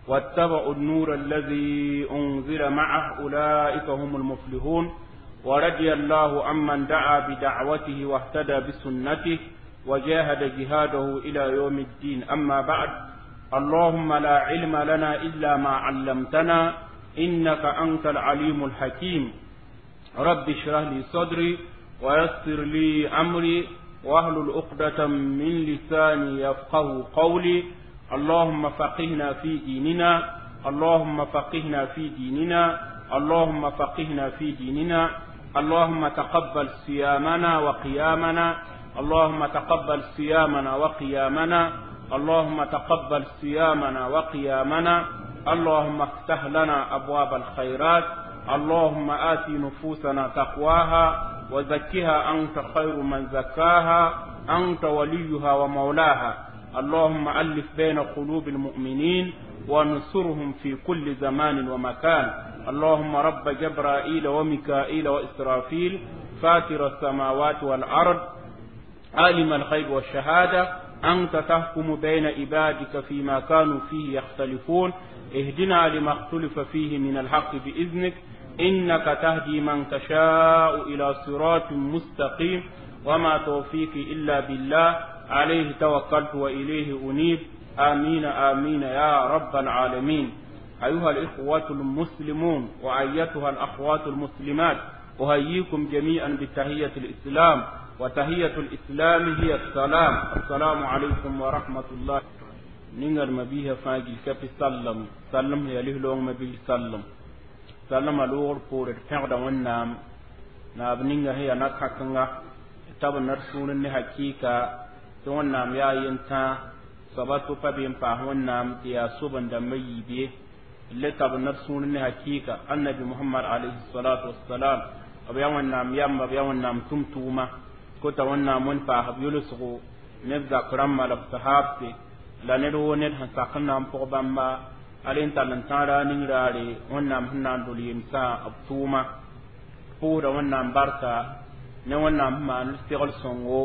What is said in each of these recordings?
واتبعوا النور الذي أنزل معه أولئك هم المفلحون. ورضي الله عمن دعا بدعوته واهتدى بسنته وجاهد جهاده إلى يوم الدين. أما بعد، اللهم لا علم لنا إلا ما علمتنا إنك أنت العليم الحكيم. رب اشرح لي صدري ويسر لي أمري واحلل عقدة من لساني يفقه قولي. اللهم فقهنا في ديننا، اللهم فقهنا في ديننا، اللهم فقهنا في ديننا. اللهم تقبل صيامنا وقيامنا، اللهم تقبل صيامنا وقيامنا، اللهم تقبل صيامنا وقيامنا. اللهم افتح لنا أبواب الخيرات، اللهم آت نفوسنا تقواها وزكها أنت خير من زكاها، أنت وليها ومولاها. اللهم ألف بين قلوب المؤمنين وانصرهم في كل زمان ومكان. اللهم رب جبرائيل وميكائيل وإسرافيل، فاتر السماوات والأرض، عالم الغيب والشهادة، أنت تحكم بين عبادك فيما كانوا فيه يختلفون. اهدنا لما اختلف فيه من الحق بإذنك، إنك تهدي من تشاء إلى صراط مستقيم. وما توفيقي إلا بالله، عليه توكلت وإليه أنيب. آمين آمين يا رب العالمين. أيها الإخوة المسلمون وأيتها الأخوات المسلمات، أهييكم جميعا بتحية الإسلام، وتحية الإسلام هي السلام. السلام عليكم ورحمة الله. نينغر مبيه فاجي كفي سلم سلم هي له لون مبيه سلم سلم الور بور تغدا ونام ناب نينغا هي نكاكنغا تاب نرسون ne hakika tɩ wẽnnaam yaa yentã soaba tʋ pa be n paas wẽnnaam tɩ yaa soben-dãmbã yiib ye. Le tab neb sũur ne hakika annabi Muhammad alayhi salatu wassalam, b yaa wẽnnaam yamba, b yaa wẽnnaam tʋm-tʋʋma, kota wẽnnaam wẽn paas b yʋlsgo neb zak rãmbã la b sahaabse la ned woo ned sẽn sak n na n pʋg bãmba al n tall n tãag raar ning raare wẽnnaam sẽn na n dol yemsã b tʋʋma. Pʋʋsda wẽnnaam barka ne wẽnnaam sẽn maan segl sõngo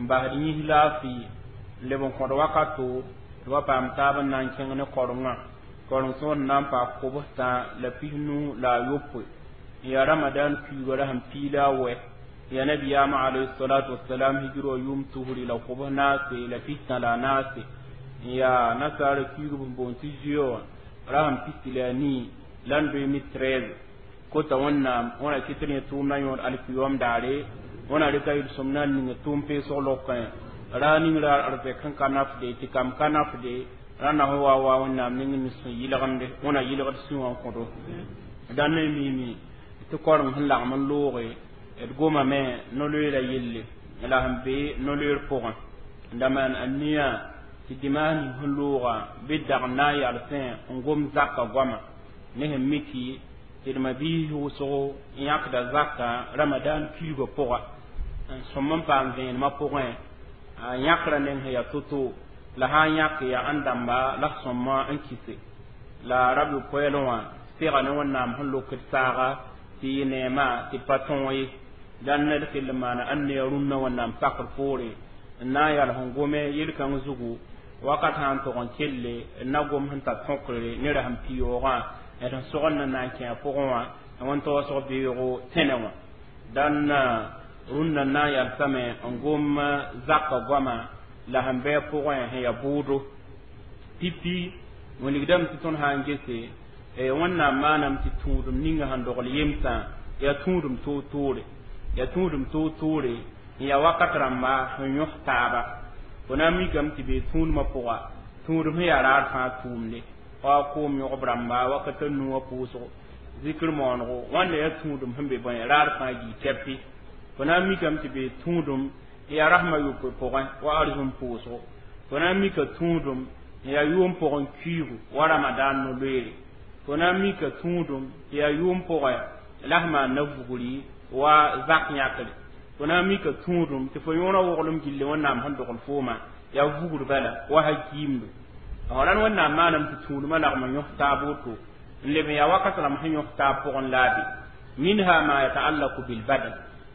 n basd yĩs laafɩ n leb n kõd wakato tɩ wa paam taab n na n kẽng ne korengã. Koreng sõor n na n paam 35 la yopoe n yaa Ramadan kuiigã ra sẽn piila a wɛ ya nabiyaamã alayhi salatu wassalam hijir wã yʋʋm 244 n yaa nasaara kuiigb sẽn boond tɩ zoe wã ra sẽn 14 la n 2013. Kota wẽnnaam wẽna kɩt rẽ tʋʋmdã yõod alkiyom daare wẽna rɩka yel-sõm na n ning tʋʋm peesg lokẽ raa ning raar arzɛk sẽn ka nafde tɩ kam ka nafde rãnda sẽn wa wa wẽnnaam ning n sẽn yɩlgemde wẽna yɩlgd sũ wã n kõdo dãn ne miime tɩ koreng sẽn lagem n looge d gomame no-loeera yelle la sẽn be no-loeer pʋgẽ n da maan a nia tɩ dimaas ning sẽn looga bɩ dag n na n yalsẽ n gom zaka goama ne sẽn miki tɩ d mabiis wʋsgo n yãkda zaka Ramadan kuiigã pʋga n sõm n paam vẽenemã pʋgẽ a yãkrã neng sẽn yaa to-to la sã n yãk yaa ãn dãmba la sõmma n kɩse la rab yopoɛɛlẽ wã sega ne wẽnnaam sẽn lokd saaga tɩ yɩ neema tɩ pa tõog ye. Dãn ned kell n maana ãn ne rũnnã wẽnnaam sakr poore n na n yals n gome yel-kãng zugu wakat sã n tog n kelle n na gom sẽn tar tõkre ne rasem piyoogã d sẽn sogend n na n kẽ a pʋgẽ wã wẽn taoosg beoogo tẽnɛ wã. Dãn rũnnã n na n yalsame n gom zaka goama la sẽn bɩ a pʋgẽ sẽn yaa bʋʋdo pipi wilgdame tɩ tõnd sã n gese wẽnnaam maaname tɩ tũudem ninga sẽn dogl yemsã yaa tũudem toor-toore, yaa tũudem toor-toore n yaa wakat rãmba sẽn yõs taaba. Fo na n mikame tɩ bee tũudmã pʋga tũudem sẽn yaa raar fãa tʋʋmde wa koom yõgb rãmba wakat a nu wã pʋʋsgo zikr moonego wãnda yaa tũudem sẽn be bõe raar fãa gii tɛpi. Fo na n mikame tɩ bee tũudem n yaa rasmã yopoe pʋgẽ wa arzũm pʋʋsgo. Fo na n mika tũudem n yaa yʋʋm pʋgẽ kuiigu wa Ramadan no-loeere. Fo na n mika tũudem tɩ yaa yʋʋm pʋgẽ la sẽn maan na vugri wa zak yãkre. Fo na n mika tũudem tɩ fo yõorã woglem gilli wẽnnaam sẽn dogl fooma yaa vugr bala wa ha kiimdo rãn wẽnnaam maaname tɩ tũudmã lagm n yõs taab woto n leb n yaa wakat rãmb sẽn yõs taab pʋgẽ laabe. Minha ma yataallaku bilbadan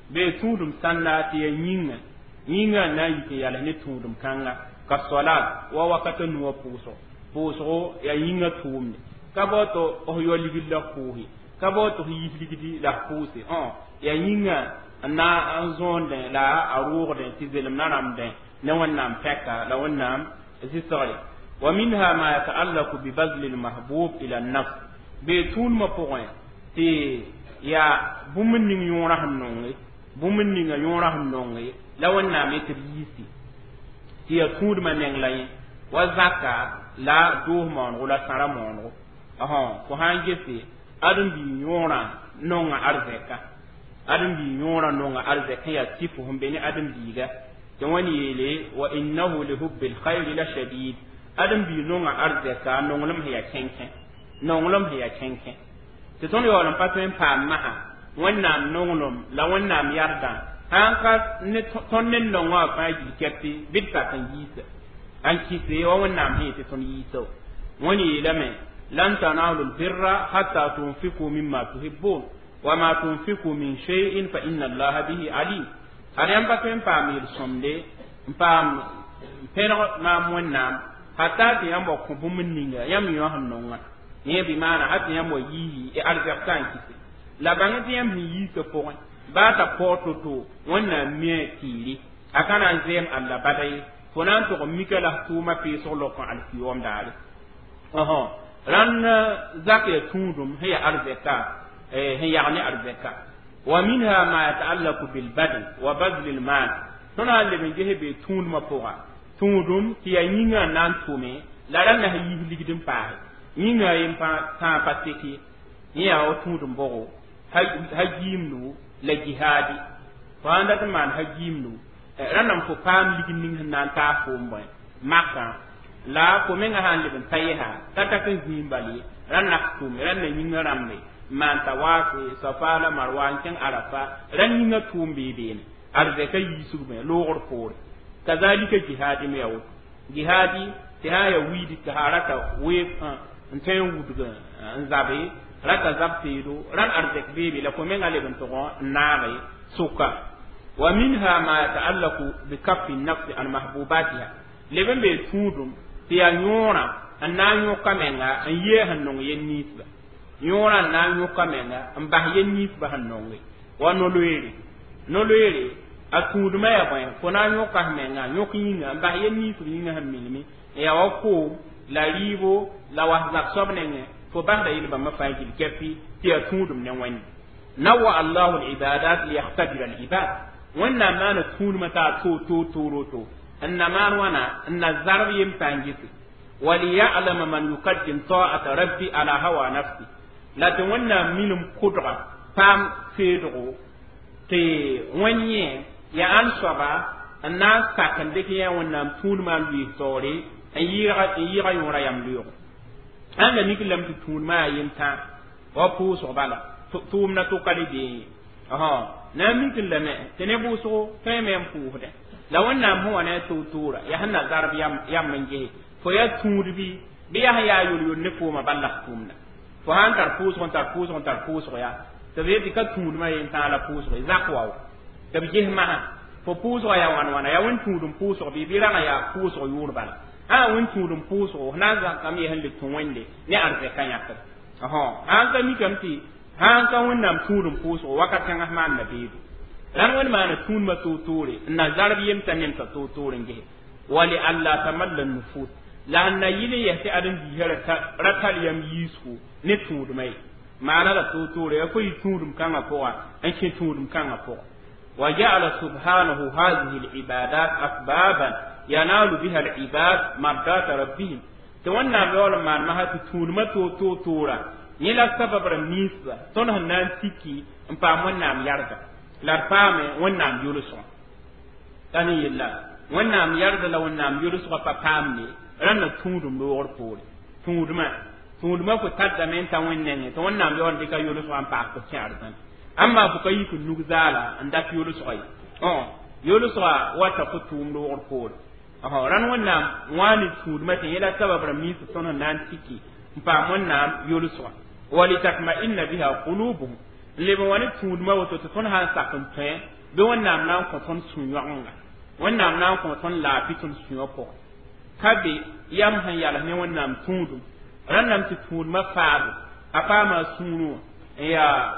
bee tũudem sãnda tɩ yaa yĩnga yĩnga n na n yik n yals ne tũudem kãnga ka solat wa wakat a nuwã pʋʋsgo. Pʋʋsgo yaa yĩngã tʋʋmde ka bao tɩ f yao ligd la f pʋʋse ka bao tɩ f yiis ligdi la f pʋʋse yaa yĩngã n na n zõondẽ la a rʋʋgdẽ tɩ zelem na rãmbdẽ ne Wẽnnaam pɛka la Wẽnnaam zɩsgre. Wa minha ma yata'allaku bi bazli lmahbub ila nafs bee tũudmã pʋgẽ tɩ yaa bũmb ning yõorã sẽn nonge bũmb ninga yõorã sẽn nonge la Wẽnnaam yetɩ b yiisi tɩ yaa tũudmã neng la yẽ wa zaka la doos moonego la sãra moonego fo sã n gese ãdem-biig yõorã nonga arzɛka ãdem-biig yõorã nonga arzɛk yaa sɩfo sẽn be ne ãdem-biiga tɩ wẽnd yeele wa innahu lihubbi lkhayri la shadid ãdem-biig nonga arzɛka nonglem sẽn yaa kẽnkẽ nonglem sẽn yaa kẽnkẽ tɩ tõnd yaool n pa tõe n paam masã Wẽnnaam nonglem la Wẽnnaam yardã sãn ka ne tõnd ne nongã wã fãa gil kɛpɩ bɩ d sak n yiisa n kɩse wa Wẽnnaam sẽn yetɩ tõnd yiisa wẽnd yeelame lan tanalu lbirra hatta tunfiku mimma tuhibbun wa ma tunfiku min shay'in fa inna allaha bihi alim ad yãmb pa tõe n paam yel-sõmde n paam pẽneg maam Wẽnnaam hatta tɩ yãmb wa kõ bũmb ninga yãmb yõ sẽn nonga yẽ bɩ maana ha tɩ yãmb wa yiisi arzɛk n kɩse la bãng tɩ yãmb sẽn yiisã pʋgẽ baa t'a paoog to-to Wẽnnaam mia tiiri a ka na n zɛɛm alla bada ye fo na n tʋg n mika la f tʋʋmã peesg lok n alkiyoom daare rãnd zak yaa tũudum sẽn yaa arzɛka sẽn yag ne arzɛka. Wa minha ma yata'allaku bilbadan wa bazli lmal tõnd sã n leb n ges bee tũudmã pʋga tũudum tɩ yaa yĩngã n na n tʋme la rãnda sẽn yiis ligd n paase yĩngã yen tãa pa sek ye yẽ yaa wa tũudum bʋgo ha giimdu la jihaadi fo sãn dat n maan ha giimdu rãndame fo paam ligd ning sẽn na n taas foom bõe makã la fo menga sã n leb n ta yɛsa t'a tak n zĩig bal ye rãnd nak tʋʋme rãnd na yĩngã rãmbe n maan tawaafe Safa la Marwa n kẽng Arafa rãnd yĩngã tʋʋm bee beene arzɛka yiisg bẽ loogr poore kazalika jihaadi me yaa woto jihaadi tɩ sã n yaa wiidi tɩ sã rata weeb n tõe n wudg n zabe rata zab teedo rãnd arzɛk beebe la fo menga leb n tʋg n naage sʋka. Wa minha ma yata'allaku bikaffi nafsi an mahbubatiha leb n bee tũudum tɩ yaa yõorã n na n yõka menga n yee sẽn nong yel ninsba yõorã n na n yõka menga n bas yel ninsba sẽn nonge wa no-loeere no-loeere a tũudmã yaa bõe fo na n yõka f menga yõk yĩnga n bas yel ninsb yĩnga sẽn milme n yaa wa koom la rɩɩbo la was zab soab nengẽ fo basda yel bãmba fãa gil kɛpɩ tɩ yaa tũudum ne Wẽnde nawa allahu libadat liyahtabira libad Wẽnnaam maana tũudmã t'a toor toor toor n na maan wãna n na zarb yem pa n gese waliyalama man yukaddim ta'ata rabbi ala hawa nafsi la tɩ Wẽnnaam minim kʋdga paam seedgo tɩ wẽn yẽ yaa ãn soaba n na n sak n dɩk yã Wẽnnaam tũudmã n lʋɩɩs taoore n yɩɩga yõora yam loeego ãnda mik lame tɩ tũudmã yaa yentã wa pʋʋsg bala tʋʋmdã tʋka le bee na n mik n lame tɩ ne bʋʋsgo tõeme n pʋʋsdẽ la Wẽnnaam sẽn wa ne a toor-toora yaa sẽn na zarb yam n gese fo yaa tũud bɩ bɩ yaa sẽn yaa yol-yol ne fooma bal la f tʋʋmda fo sã n tar pʋʋsg n tar pʋʋsg n tar pʋʋsg yaa tɩ b yetɩ ka tũudmã yentã la pʋʋsg zak wa tɩ b ges masã fo pʋʋsgã yaa wãn wãna yaa wẽn tũud n pʋʋsg bɩ bɩ ragã yaa pʋʋsg yʋʋr bala ã wẽn tũud n pʋʋsgo f na n zakame sẽn le tũ Wẽnde ne arzɛka yãkd sãn ka mikame tɩ sãn ka Wẽnnaam tũud n pʋʋsgo wakat kãngã f maanda beedo rãnd Wẽnd maana tũudmã toor-toore n na zarb yemtã nemsã toor-toor n gese wa li alla tamalla nufus la sẽn na yɩl n yɛs tɩ ãdem-biisã ra tar yam yiisgo ne tũudmã ye maana la toor-toore yaa fo yɩ tũudum kãngã pʋga n kẽ tũudum kãngã pʋga wa ja'ala subhanahu hadhihi al-ibadat asbaban yanalu biha al-ibad mardata rabbihim tɩ Wẽnnaam yaool n maan masã tɩ tũudmã toor-toor-toora yẽ la sabab rãmb ninsba tõnd sẽn na n tiki n paam Wẽnnaam yarga la d paame Wẽnnaam yʋlsgã t'a ne yella Wẽnnaam yarda la Wẽnnaam yʋlsgã pa paamne rãnd na tũudum loogr poore tũudmã tũudmã fo tardame n ta Wẽnd nengẽ tɩ Wẽnnaam yaool n dɩka yʋlsgã n paas tɩ f kẽ arzãna amma fo ka yik n nug zaala n dat yʋlsgã ye yʋlsgã wata fo tʋʋm loogr poore rãnd Wẽnnaam wã ne tũudmã tɩ yẽ la sabab rãmb nins tõnd sẽn na n tiki n paam Wẽnnaam yʋlsgã walitatma'inna biha qulubuhum n leb n wa ne tũudmã woto tɩ tõnd sã n sak n tõe bɩ Wẽnnaam na n kõ tõnd sũ-yõgenga Wẽnnaam na n kõ tõnd laafɩ tõnd sũyã pʋgẽ. Ka be yam sẽn yals ne Wẽnnaam tũudum rãndame tɩ tũudmã faabo a paama a sũurẽ wã n yaa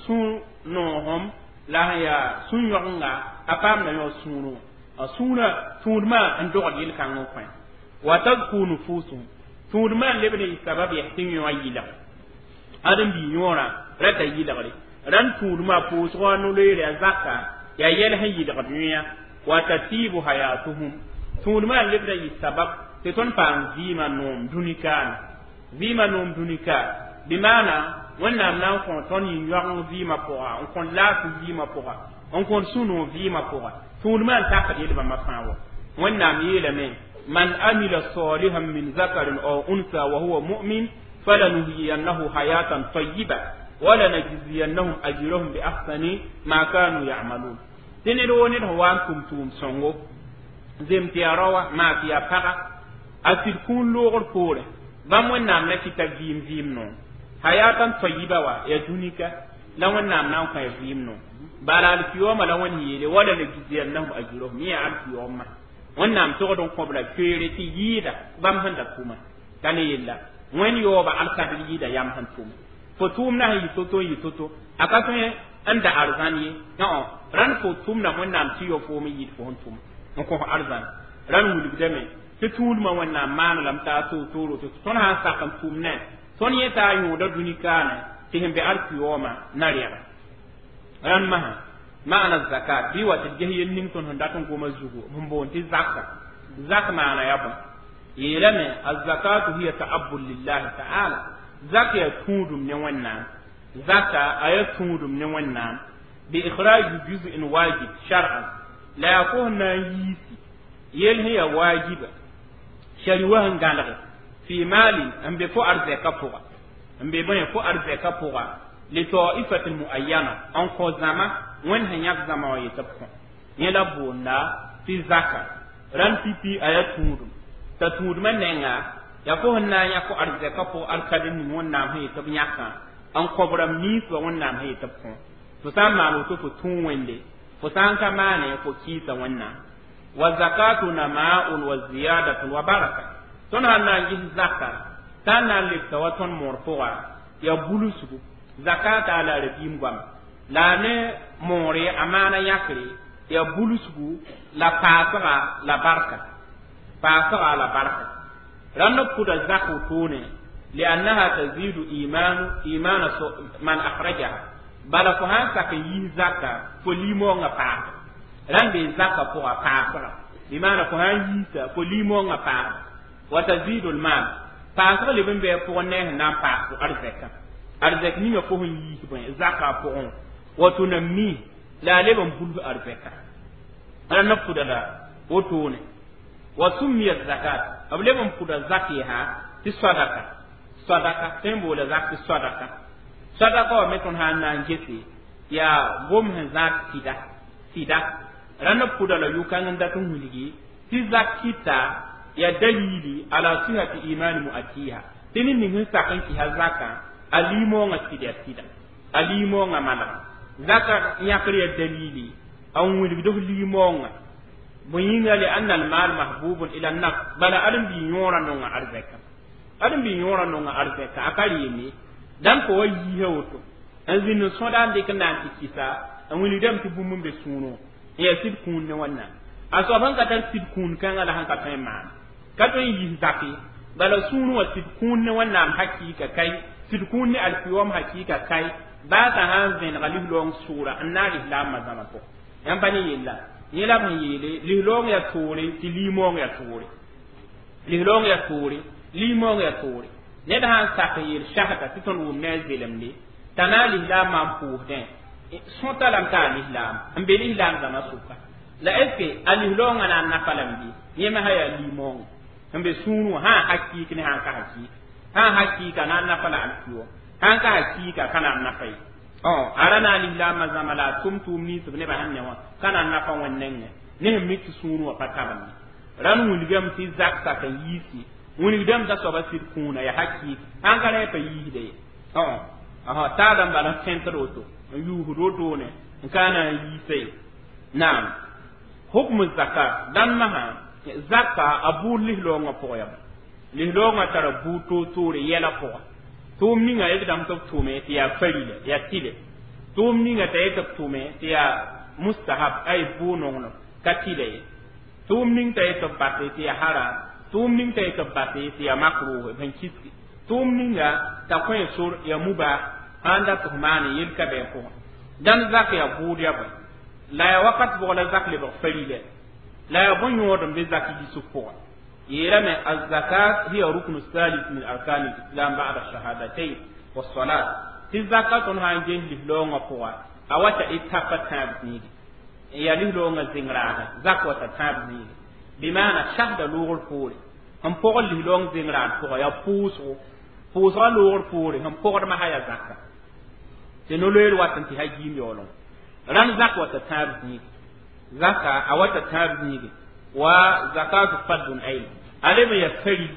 sũ-noogem la sẽn yaa sũ-yõgenga a paamda yõ sũurẽ wã a sũurã tũudmã n dogd yel-kãng n kõ wa tazku nufusuhum tũudmã n lebd n yɩ sabab yɛs tɩ yõ a yɩlg ãdem-bii yõorã rata yɩlgre rãnd tũudmã pʋʋsgɔ a no-loeere a zaka yaa yɛl sẽn yɩlgd yõa wa tatibu hayatuhum tũudmã n lebd n yɩ sabab tɩ tõnd paam vɩɩmã noom dũni-kaane vɩɩmã noom dũni-ka bɩ maana Wẽnnaam na n kõ tõnd yĩn-yoageng vɩɩmã pʋga n kõn laafɩ vɩɩmã pʋga n kõn sũ-noog vɩɩmã pʋga tũudmã n takd yel-bãmba fãa wa Wẽnnaam yeelame man amila salihan min zakarin aw unsa wa huwa mu'min falanuhyiyannahu hayatan tayyiba walanajziyannahum ajrahum bi ahsani ma kanu ya'malun tɩ ned woo ned sẽn wa n tʋm tʋʋm sõngo zem tɩ yaa raoa maa tɩ yaa paga a sɩd kũun loogr poorẽ bãmb Wẽnnaam na kɩta vɩɩm vɩɩm noog hayatan tayyiba wa ya dũnika la Wẽnnaam na n kõ ya vɩɩm noog bala alkiyooma la Wẽnd yeele wala najziyannahum ajrahum yẽ yaa alkiyoomã Wẽnnaam togd n kõb la koeere tɩ yɩɩda bãmb sẽn da tʋma ka ne yella Wẽnd yaooba alkadr yɩɩda yam sẽn tʋm fo tʋʋmdã sẽn yɩ to-to n yɩ to-to a ka tõe n da arzãn ye rãnd fo tʋmda Wẽnnaam tɩ yao foom n yɩɩd fo sẽn tʋm n kõ arzãn rãnd wilgdame tɩ tũudmã Wẽnnaam maan lame t'a toor-tooro tɩ tõnd sã n sak n tʋmnẽ tõnd yẽ t'a yõoda dũni-kaane tɩ sẽn be alkiyoomã na rɛga rãnd masã maana zakat bɩ wa tɩ d ges yel ning tõnd sẽn dat n goma zugu sẽn boond tɩ zaka zak maana yaa bõe yeelame azakatu hiya ta'abbud lillahi ta'ala zak yaa tũudum ne Wẽnnaam zaka a yaa tũudum ne Wẽnnaam bi ikhraj juz'in wajib shar'an la yaa fo sẽn na n yiisi yel sẽn yaa waajiba shariwa sẽn gãlge fi maalin n be fo arzɛka pʋga n be bõe fo arzɛka pʋga li ta'ifatin muayyana n kõ zãma Wẽnd sẽn yãk zãma wã yetɩ b kõ yẽ la boonda tɩ zaka rãnd pipi a yaa tũudum t'a tũudmã nenga yaa fo sẽn na n yãk fo arzɛka pʋg alkadr ning Wẽnnaam sẽn yetɩ b yãkã n kõb rãmb ninsbã Wẽnnaam sẽn yetɩ b kõ fo sã n maan woto fo tũu Wẽnde fo sã n ka maane fo kɩɩsa Wẽnnaam wa zakatu nama'un wa ziyadatun wa baraka tõnd sãn na n ges zaka t'a na n lebsa wa tõnd moor pʋga yaa bulsgu zakata a la rabiim goama la a ne moore a maana yãkre yaa bulsgu la paasga la barka paasga la barka rãnd b pʋda zak wotone liannaha tazidu imanu imana man akhrajaha bala fo sãn sak n yiis zaka fo limoongã paasga rãnd bee zaka pʋga paasga bɩ maana fo sãn yiisa fo limoongã paasga wa tazidu lmal paasg leb n bɩ a pʋgẽ ne sẽn na n paas fo arzɛkã arzɛk ninga fo sẽn yiis bõe zaka pʋgẽ wa tunammi la a leb n bulg arzɛka rãnd b pʋda la wotone wa summiya zakat b leb n pʋda zak yaa tɩ sadaka sadaka tõe n boola zak tɩ sadaka sadaka wa me tõnd sã n na n gese yaa gom sẽn zãad sɩda sɩda rãnd b pʋda la yʋ-kãng n dat n wilgi tɩ zak kɩta yaa dalili ala sihati imani mu'atiha tɩ ned ning sẽn sak n kɩsa zakã a limoongã sɩd yaa sɩda a limoongã manega zaka yãkr yaa dalili a n wilgd f limoongã bõe yĩnga li anna almal mahbubun ila nafs bala ãdem-bii yõorã nonga arzɛka ãdem-bii yõorã nonga arzɛka a ka reeme dãmb fo wa yiisa woto n zĩnd n sõda n dɩk n na n tɩ kɩsa n wilgdame tɩ bũmb n be sũurẽ n yaa sɩd kũun ne Wẽnnaam a soab sẽn ka tar sɩd kũun kãngã la sẽn ka tõe n maan ka tõe n yiis zak ye bala sũurẽ wã sɩd kũun ne Wẽnnaam hakɩɩka kai sɩd kũun ne alkiyoom hakɩɩka kai baa t'a sã n vẽnega lislaoong sʋʋra n naag lislaambã zãma pʋgẽ yãmb pa ne yella yẽ la b sẽn yeele lislaoong yaa toore tɩ limoong yaa toore lislaoong yaa toore limoong yaa toore ned sã n sak n yeel shahada tɩ tõnd wʋm ne a zelemde t'a na n lislaambã n pʋʋsdẽ sõta lame t'a lislaam n be lislaam zãma sʋka la est ce que a lislaoongã na n nafa lame bɩ yẽ me sã yaa limoongã n be sũurẽ wã sã n hakɩɩk ne sã n ka hakɩɩk sã n hakɩɩka na n nafa la alkiyoom sã n ka hakɩɩka ka na n nafa ye a ra na n lislaambã zãma la a tʋm tʋʋm ninsb nebã sẽn ne wã ka na n nafa Wẽnd nengẽ ne sẽn mik tɩ sũurẽ wã pa tabend rãnd wilgame tɩ zak sak n yiisi wilgdame t'a soaba sɩd kũuna yaa hakɩɩk sãn ka rẽ pa yiisda ye taada n bala n fẽntd woto n yuusd wotone n ka na n yiisa ye naam hukmu zakat dãn masã Zaka a buud lislaoongã pʋgã yaa lislaoongã tara buud toor-toore yɛla pʋga tʋʋm ninga d dãmb tɩ b tʋme tɩ yaa farila yaa tɩlɛ tʋʋm ninga t'a yetɩ b tʋme tɩ yaa mustahab ay bʋ-nonglem ka tɩlɛ ye tʋʋm ning t'a yetɩ b base tɩ yaa haram tʋʋm ning t'a yetɩ b base tɩ yaa makruh sẽn kiski tʋʋm ninga t'a kõ sor yaa mubah sãn dat tɩ f maane yel ka bɩ a pʋgẽ dãn zak yaa bʋʋd yaa bõe la yaa wakat bʋg la zak lebg farila la yaa bõn-yõod n be zak yisg pʋgã yeelame الزكاة هي ركن الثالث من أركان الإسلام بعد الشهادتين والصلاة tɩ zaka tõnd sã n ges lislaoongã pʋga a wata y tapa tãab zĩigi n yaa lislaoongã zẽng-raada zak wata tãab zĩigi bɩ maana sasda loogr poore sẽn pʋgd lislaoong zẽng-raad pʋga yaa pʋʋsgo pʋʋsgã loogr poore sẽn pʋgd masã yaa zaka tɩ no-loeer wat n tɩ ha giim yaooleng rãnd zak wata tãab zĩigi zaka a wata tãab zĩigi wa zakatu fardun ayn ale me ya faril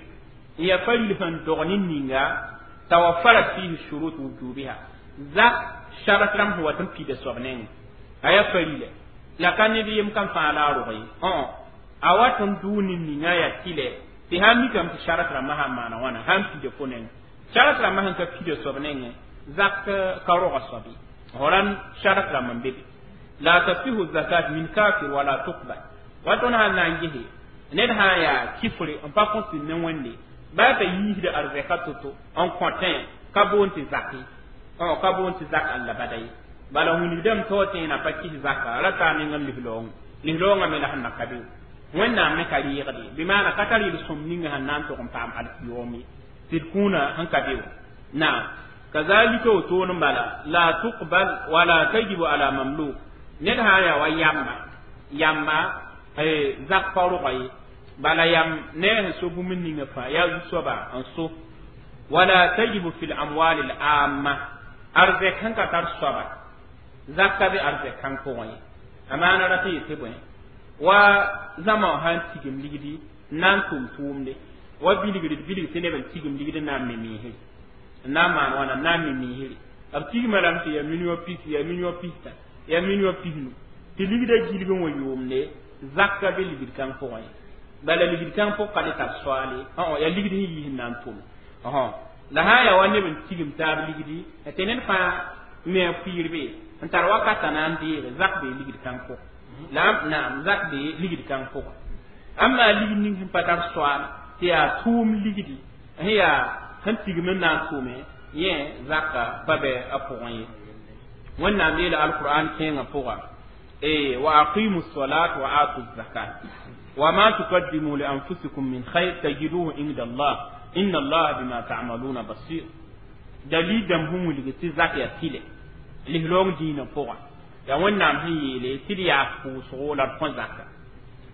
ya faril sẽn dog ne ninga tawaffarat fihi shurut wujubiha zak sharat rãmb sẽn wat n pida soab nengẽ a ya farile la ka ned yem kam fãa la a rog ye a wat n dʋʋ ne ninga yaa tɩlɛ tɩ sãn mikame tɩ sharat rãmbã sãn maana wãna sãn pida fo nengẽ sharat rãmbã sẽn ka pida soab nengẽ zak ka roga soab ye rãnd sharat rãmb n be be la tasihu zakat min kafir wala tuqbal wa tõnd sãn na n gese ned sã n yaa kifre n pa kõs ne Wẽnde baa t'a yiisda arzɛka to-to n kõtẽ ka boond tɩ zak ye ka boond tɩ zak alla bada ye bala wilgdame taoor tẽenã pa kis zaka ra taa neng n lislaoongã lislaoongã me la sẽn na ka be Wẽnnaam me ka reegde bɩ maana ka tar yel-sõm ninga sẽn na n tog n paam alkiyoom ye tɩ d kũunã sẽn ka be wã naam kazalika wotoon n bala la tuqbal wala tajibu ala mamluk ned sã n yaa wa yamba yamba zak pa roga ye bala yam ne sẽn so bũmb ninga fãa yaa zu-soaba n so wala tajibu fi lamwal al amma arzɛk sẽn ka tar soaba zak ka be arzɛk kãng pʋgẽ ye a maana rat n yetɩ bõe wa zãma wã sãn tigim ligdi n na n tʋm tʋʋmde wa bilgr d bilg tɩ neb n tigim ligd n na n me miisre n na n maan wãna n na n me miisre b tigma lame tɩ yaa million pis yaa million pista yaa million pisnu tɩ ligdã gilg n wa yʋʋmde zak ka be ligd kãng pʋgẽ ye bala ligd kãng pʋg ka le tar soaale yaa ligd sẽn yiis n na n tʋm la sã n yaa wa neb n tigim taab ligdi tɩ ned fãa me a puiirbe n tar wakata na n deege zak bee ligd kãng pʋgẽ la naam zak bee ligd kãng pʋgẽ ãmba ligd ning sẽn pa tar soaal tɩ yaa tʋʋm ligdi sẽn yaa sẽn tigim n na n tʋme yẽ zaka pa bɛ a pʋgẽ ye Wẽnnaam yeela alqur'an kẽengã pʋga wa aqimu salat wa atu zakat wa ma tuqaddimu li anfusikum min khair tajiduhu inda Allah inna Allah bima ta'maluna basir dalil dãmb sẽn wilg tɩ zak yaa tɩlɛ lislaoong dĩinã pʋgã yaa Wẽnnaam sẽn yeele tɩ d yaa pʋʋsgo la d kõ zaka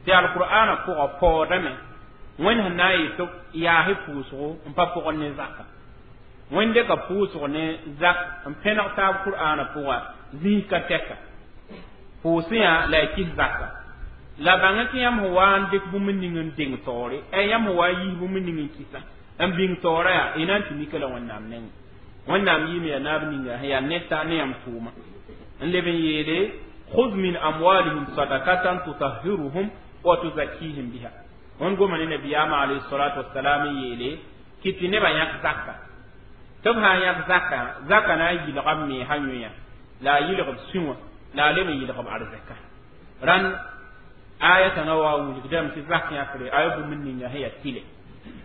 tɩ alqur'ana pʋgã paoodame Wẽnd sẽn na n yetɩ yaasɩ pʋʋsgo n pa pʋgẽ ne zaka Wẽnd dɩka pʋʋsg ne zak n pẽneg taab qur'ana pʋgã zĩis ka tɛka pʋʋsẽ yã la y kis zaka la bãng tɩ yãmb sẽn wa n dɩk bũmb ning n deng taoore yãmb sẽn wa n yiis bũmb ning n kɩsa n bĩng taoora yaa y na n tɩ mika la Wẽnnaam nengẽ Wẽnnaam yɩɩme yaa naab ninga sẽn yaa neta ne yãmb tʋʋma n leb n yeele khudh min amwalihim sadakatan tutahhiruhum wa tuzakkihim biha wẽnd goma ne nabiyaamã alayhi salatu wasalam n yeele kɩ tɩ nebã yãk zaka tɩ b sã n yãk zaka zaka na n yɩlga b meesã yõya la a yɩlg b sũ wã la a leb n yɩlg b arzɛka rãnd aya kãngã wa wilgdame tɩ zak yãkre a ya bũmb ninga sẽn yaa tɩlɛ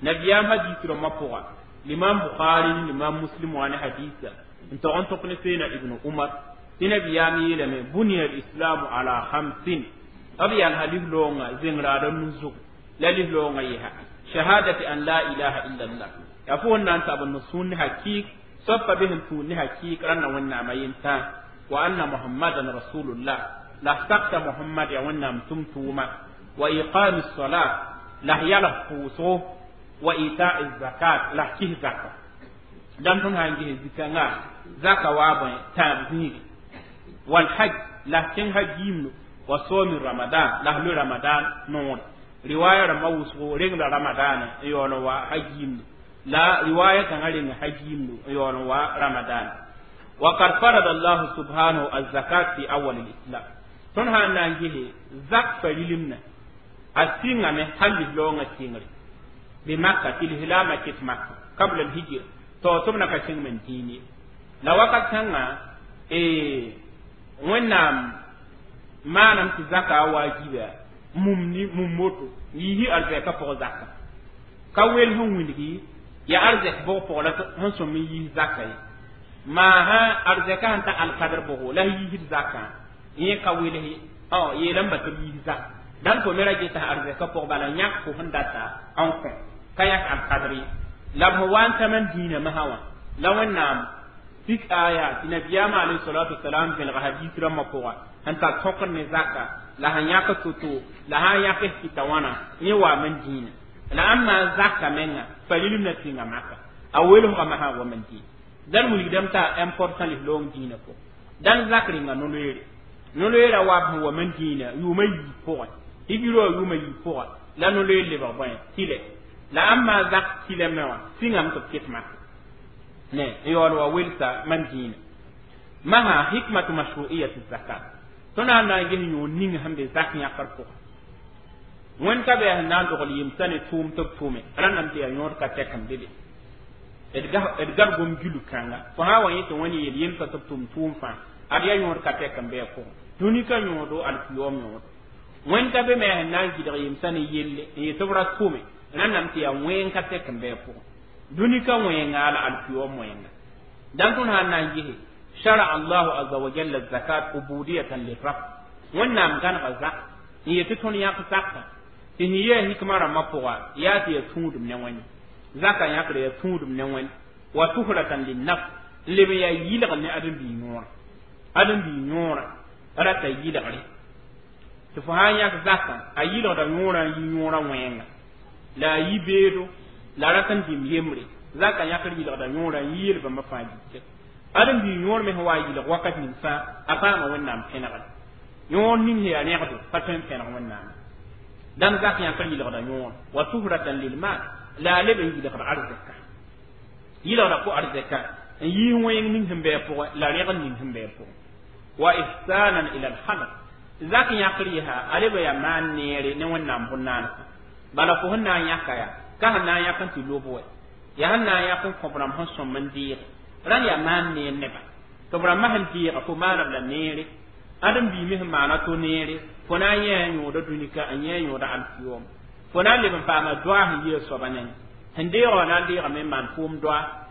nabiyaam hadis rãmbã pʋga limam Bukhari ni limam Muslim wa ne hadisa n tog n tõk ne seena Ibnu Umar tɩ nabiyaam yeelame buniya lislamu ala khamsin b yalsa lislaoongã zẽng-raada nu-zug la lislaoongã yesa shahadati an la ilaha illa allah yaa fo n na n tab n sũur ne hakik soab pa be sẽn tũud ne hakik rãnda Wẽnnaamã yentã wa anna Muhammadan rasulullah la sakta Muhammad yaa Wẽnnaam tʋm-tʋʋma wa iqami salat la yalg pʋʋsgo wa ita'i zakat la kis zaka dãmb tõnd sã n ges zikãngã zaka waa bõe tãab zĩigi wal hajj la kẽng hajj yimno wa somi ramadan la loe ramadan noore riwaya rãmbã wʋsgo rengla ramadan n yaool n wa hajj yimno la riwaya kãngã reng hajj yimno n yaool n wa ramadan wa qad farada allahu subhanahu الزكاة في أول الإسلام tõnd sã n na n gese zak farilimna. A sɩngame hal lislaoongã sɩngre bɩ Maka tɩ lislaamã ket Maka qabla alhijra to tɩ b na ka kẽng men dĩin ye. La wakat kãngã Wẽnnaam maanam tɩ zaka a waajiba mum ni mum moto yiisi arzɛka pʋgẽ zaka ka wel sẽn wilgi ya arzɛk bʋg pʋgẽ la sẽn sõm n yiis zaka ye. Maa sã arzɛka sẽn ta alkadr bʋgo la yiisd zakã yẽ ka wels ye, yeelame ba tɩ b yiis zaka dãn fo me ra geta arzɛka pʋgẽ bala yãk fo sẽn data n kõ ka yãk alkadr ye. La b sẽn wa n tã man dĩinã masã wã la Wẽnnaam pik aya tɩ nabiyaamã alayhi salatu wasalam vẽlga hadis rãmbã pʋga sẽn tar tõkr ne zaka la sẽn yãk to-to la sã n yãk kɩta wãna yẽ waam n dĩinã. La ãmba zaka menga farilem na tĩnga Maka a welsga masã wa man dĩinã dãn wilgdame t'a important lislaoong dĩinã pʋgẽ. Dãn zak rẽnga no-loeere no-loeerã waab sẽn wa man dĩinã yʋʋma yiib pʋgẽ hijira wã yʋʋma yiib pʋgã la no-loeer lebg bõe tɩlɛ la ãmba zak tɩlɛ me wã sĩngame tɩ b ket Maka ne n yaool wa welsa man dĩinã. Masã hikmatu mashru'iyati zakat tõnd sã n na n ges yõor ning sẽn be zak yãkr pʋgẽ. Wẽnd ka be yaa sẽn na n dogl yemsã ne tʋʋm tɩ b tʋme rãndame tɩ yaa yõod ka tɛk n be be d gad gom gilg kãnga fo sã n wa yẽ tɩ Wẽnd yeel yemsã tɩ b tʋm tʋʋm fãa ad yaa yõod ka tɛk n be a pʋgẽ dũni ka yõodo alkiyoom yõodo. Wẽnd ka be me yaa sẽn na n gɩdg yemsã ne yelle n yet tɩ b ra tʋme rãndame tɩ yaa wẽng ka tɛk n be a pʋgẽ dũni ka wẽnga la alkiyoom wẽnga. Dãn tõnd sã n na n gese shara Allahu aza wa jalla zakat ubudiyatan lirab Wẽnnaam gãnega zak n yet tɩ tõnd yãk zaka tɩ sẽn yɛɛ hikma rãmbã pʋga yaa tɩ yaa tũudum ne Wẽnde zaka yãkra yaa tũudum ne Wẽnd wa tuhratan linnafs n leb n yaa yɩlgr ne ãdem-biig yõora ãdem-biig yõora rata yɩlgre tɩ fo sã n yãk zakã a yɩlgda yõorã n yi yõorã wẽnga la a yi beedo la rat n dĩm yembre zaka yãkr yɩlgda yõorã n yi yel-bãmba fãa gilke ãdem-biig yõor me sẽn wa yɩlg wakat ning fãa a paama Wẽnnaam pẽnegre yõor ning sẽn yaa rẽgdo pa tõe n pẽneg Wẽnnaam. Dãn zak yãkr yɩlgda yõor wa tuhratan lilmal la a leb n yɩlgd arzɛka yɩlgda pʋ arzɛka n yiis wẽng ning sẽn bɩ a pʋgẽ la rẽgd ning sẽn bɩ a pʋgẽ wa ihsanan ila alhalq zak yãkr yesa a leb n yaa maan neere ne Wẽnnaam bõn-naandsã bala fo sẽn na n yãka yaa ka sẽn na n yãk n tɩ lob wɛ yaa sẽn na n yãk n kõ b rãmb sẽn sõm n deege rãn yaa maan neer neba tɩ b rãmbã sẽn deega fo maana b la neere ãdem-biig me sẽn maana to neere fo na n yẽ yõoda dũnika n yẽ yõoda alkiyoom fo na n leb n paama doa sẽn yɩ a soaba nengẽ sẽn deega wã na n deegame n maan foom doa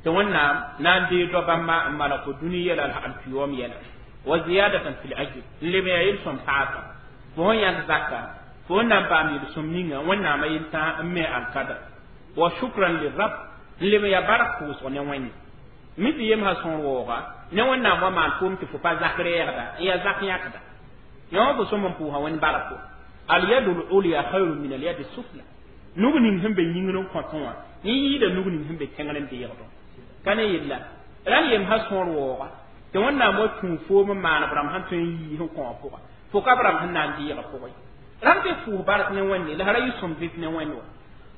tɩ Wẽnnaam na n deeg doa bãmba n malg fo dũni yɛla la alkiyoom yɛla wa ziyadatan fil ajr n leb n yaa yel-sõm paasa fo sẽn yãk zaka fo sẽn na n paam yel-sõm ninga Wẽnnaamã yel-tã n me alkadr wa shukran lirab n leb n yaa bark pʋʋsg ne Wẽnde mi tɩ yemsã sõor waooga ne Wẽnnaam wa maan foom tɩ fo pa zak rɛɛgda n yaa zak yãkda yõ fo sõm n pʋʋsa Wẽnd barko alyadu lulya khayrun min alyadi sufla nug ning sẽn be yĩngr n kõtẽ wã yẽ yɩɩda nug ning sẽn be tẽngr n deegdõ ka ne yella rãn yemsã sõor waooga tɩ Wẽnnaam wa tũu foom n maan b rãmb sẽn tõe n yii sẽn kõ wã pʋga fo ka b rãmb sẽn na n deega pʋgẽ rãmb tɩ pʋʋs bark ne Wẽnde la ra yɩ sõm vɩt ne Wẽnd wa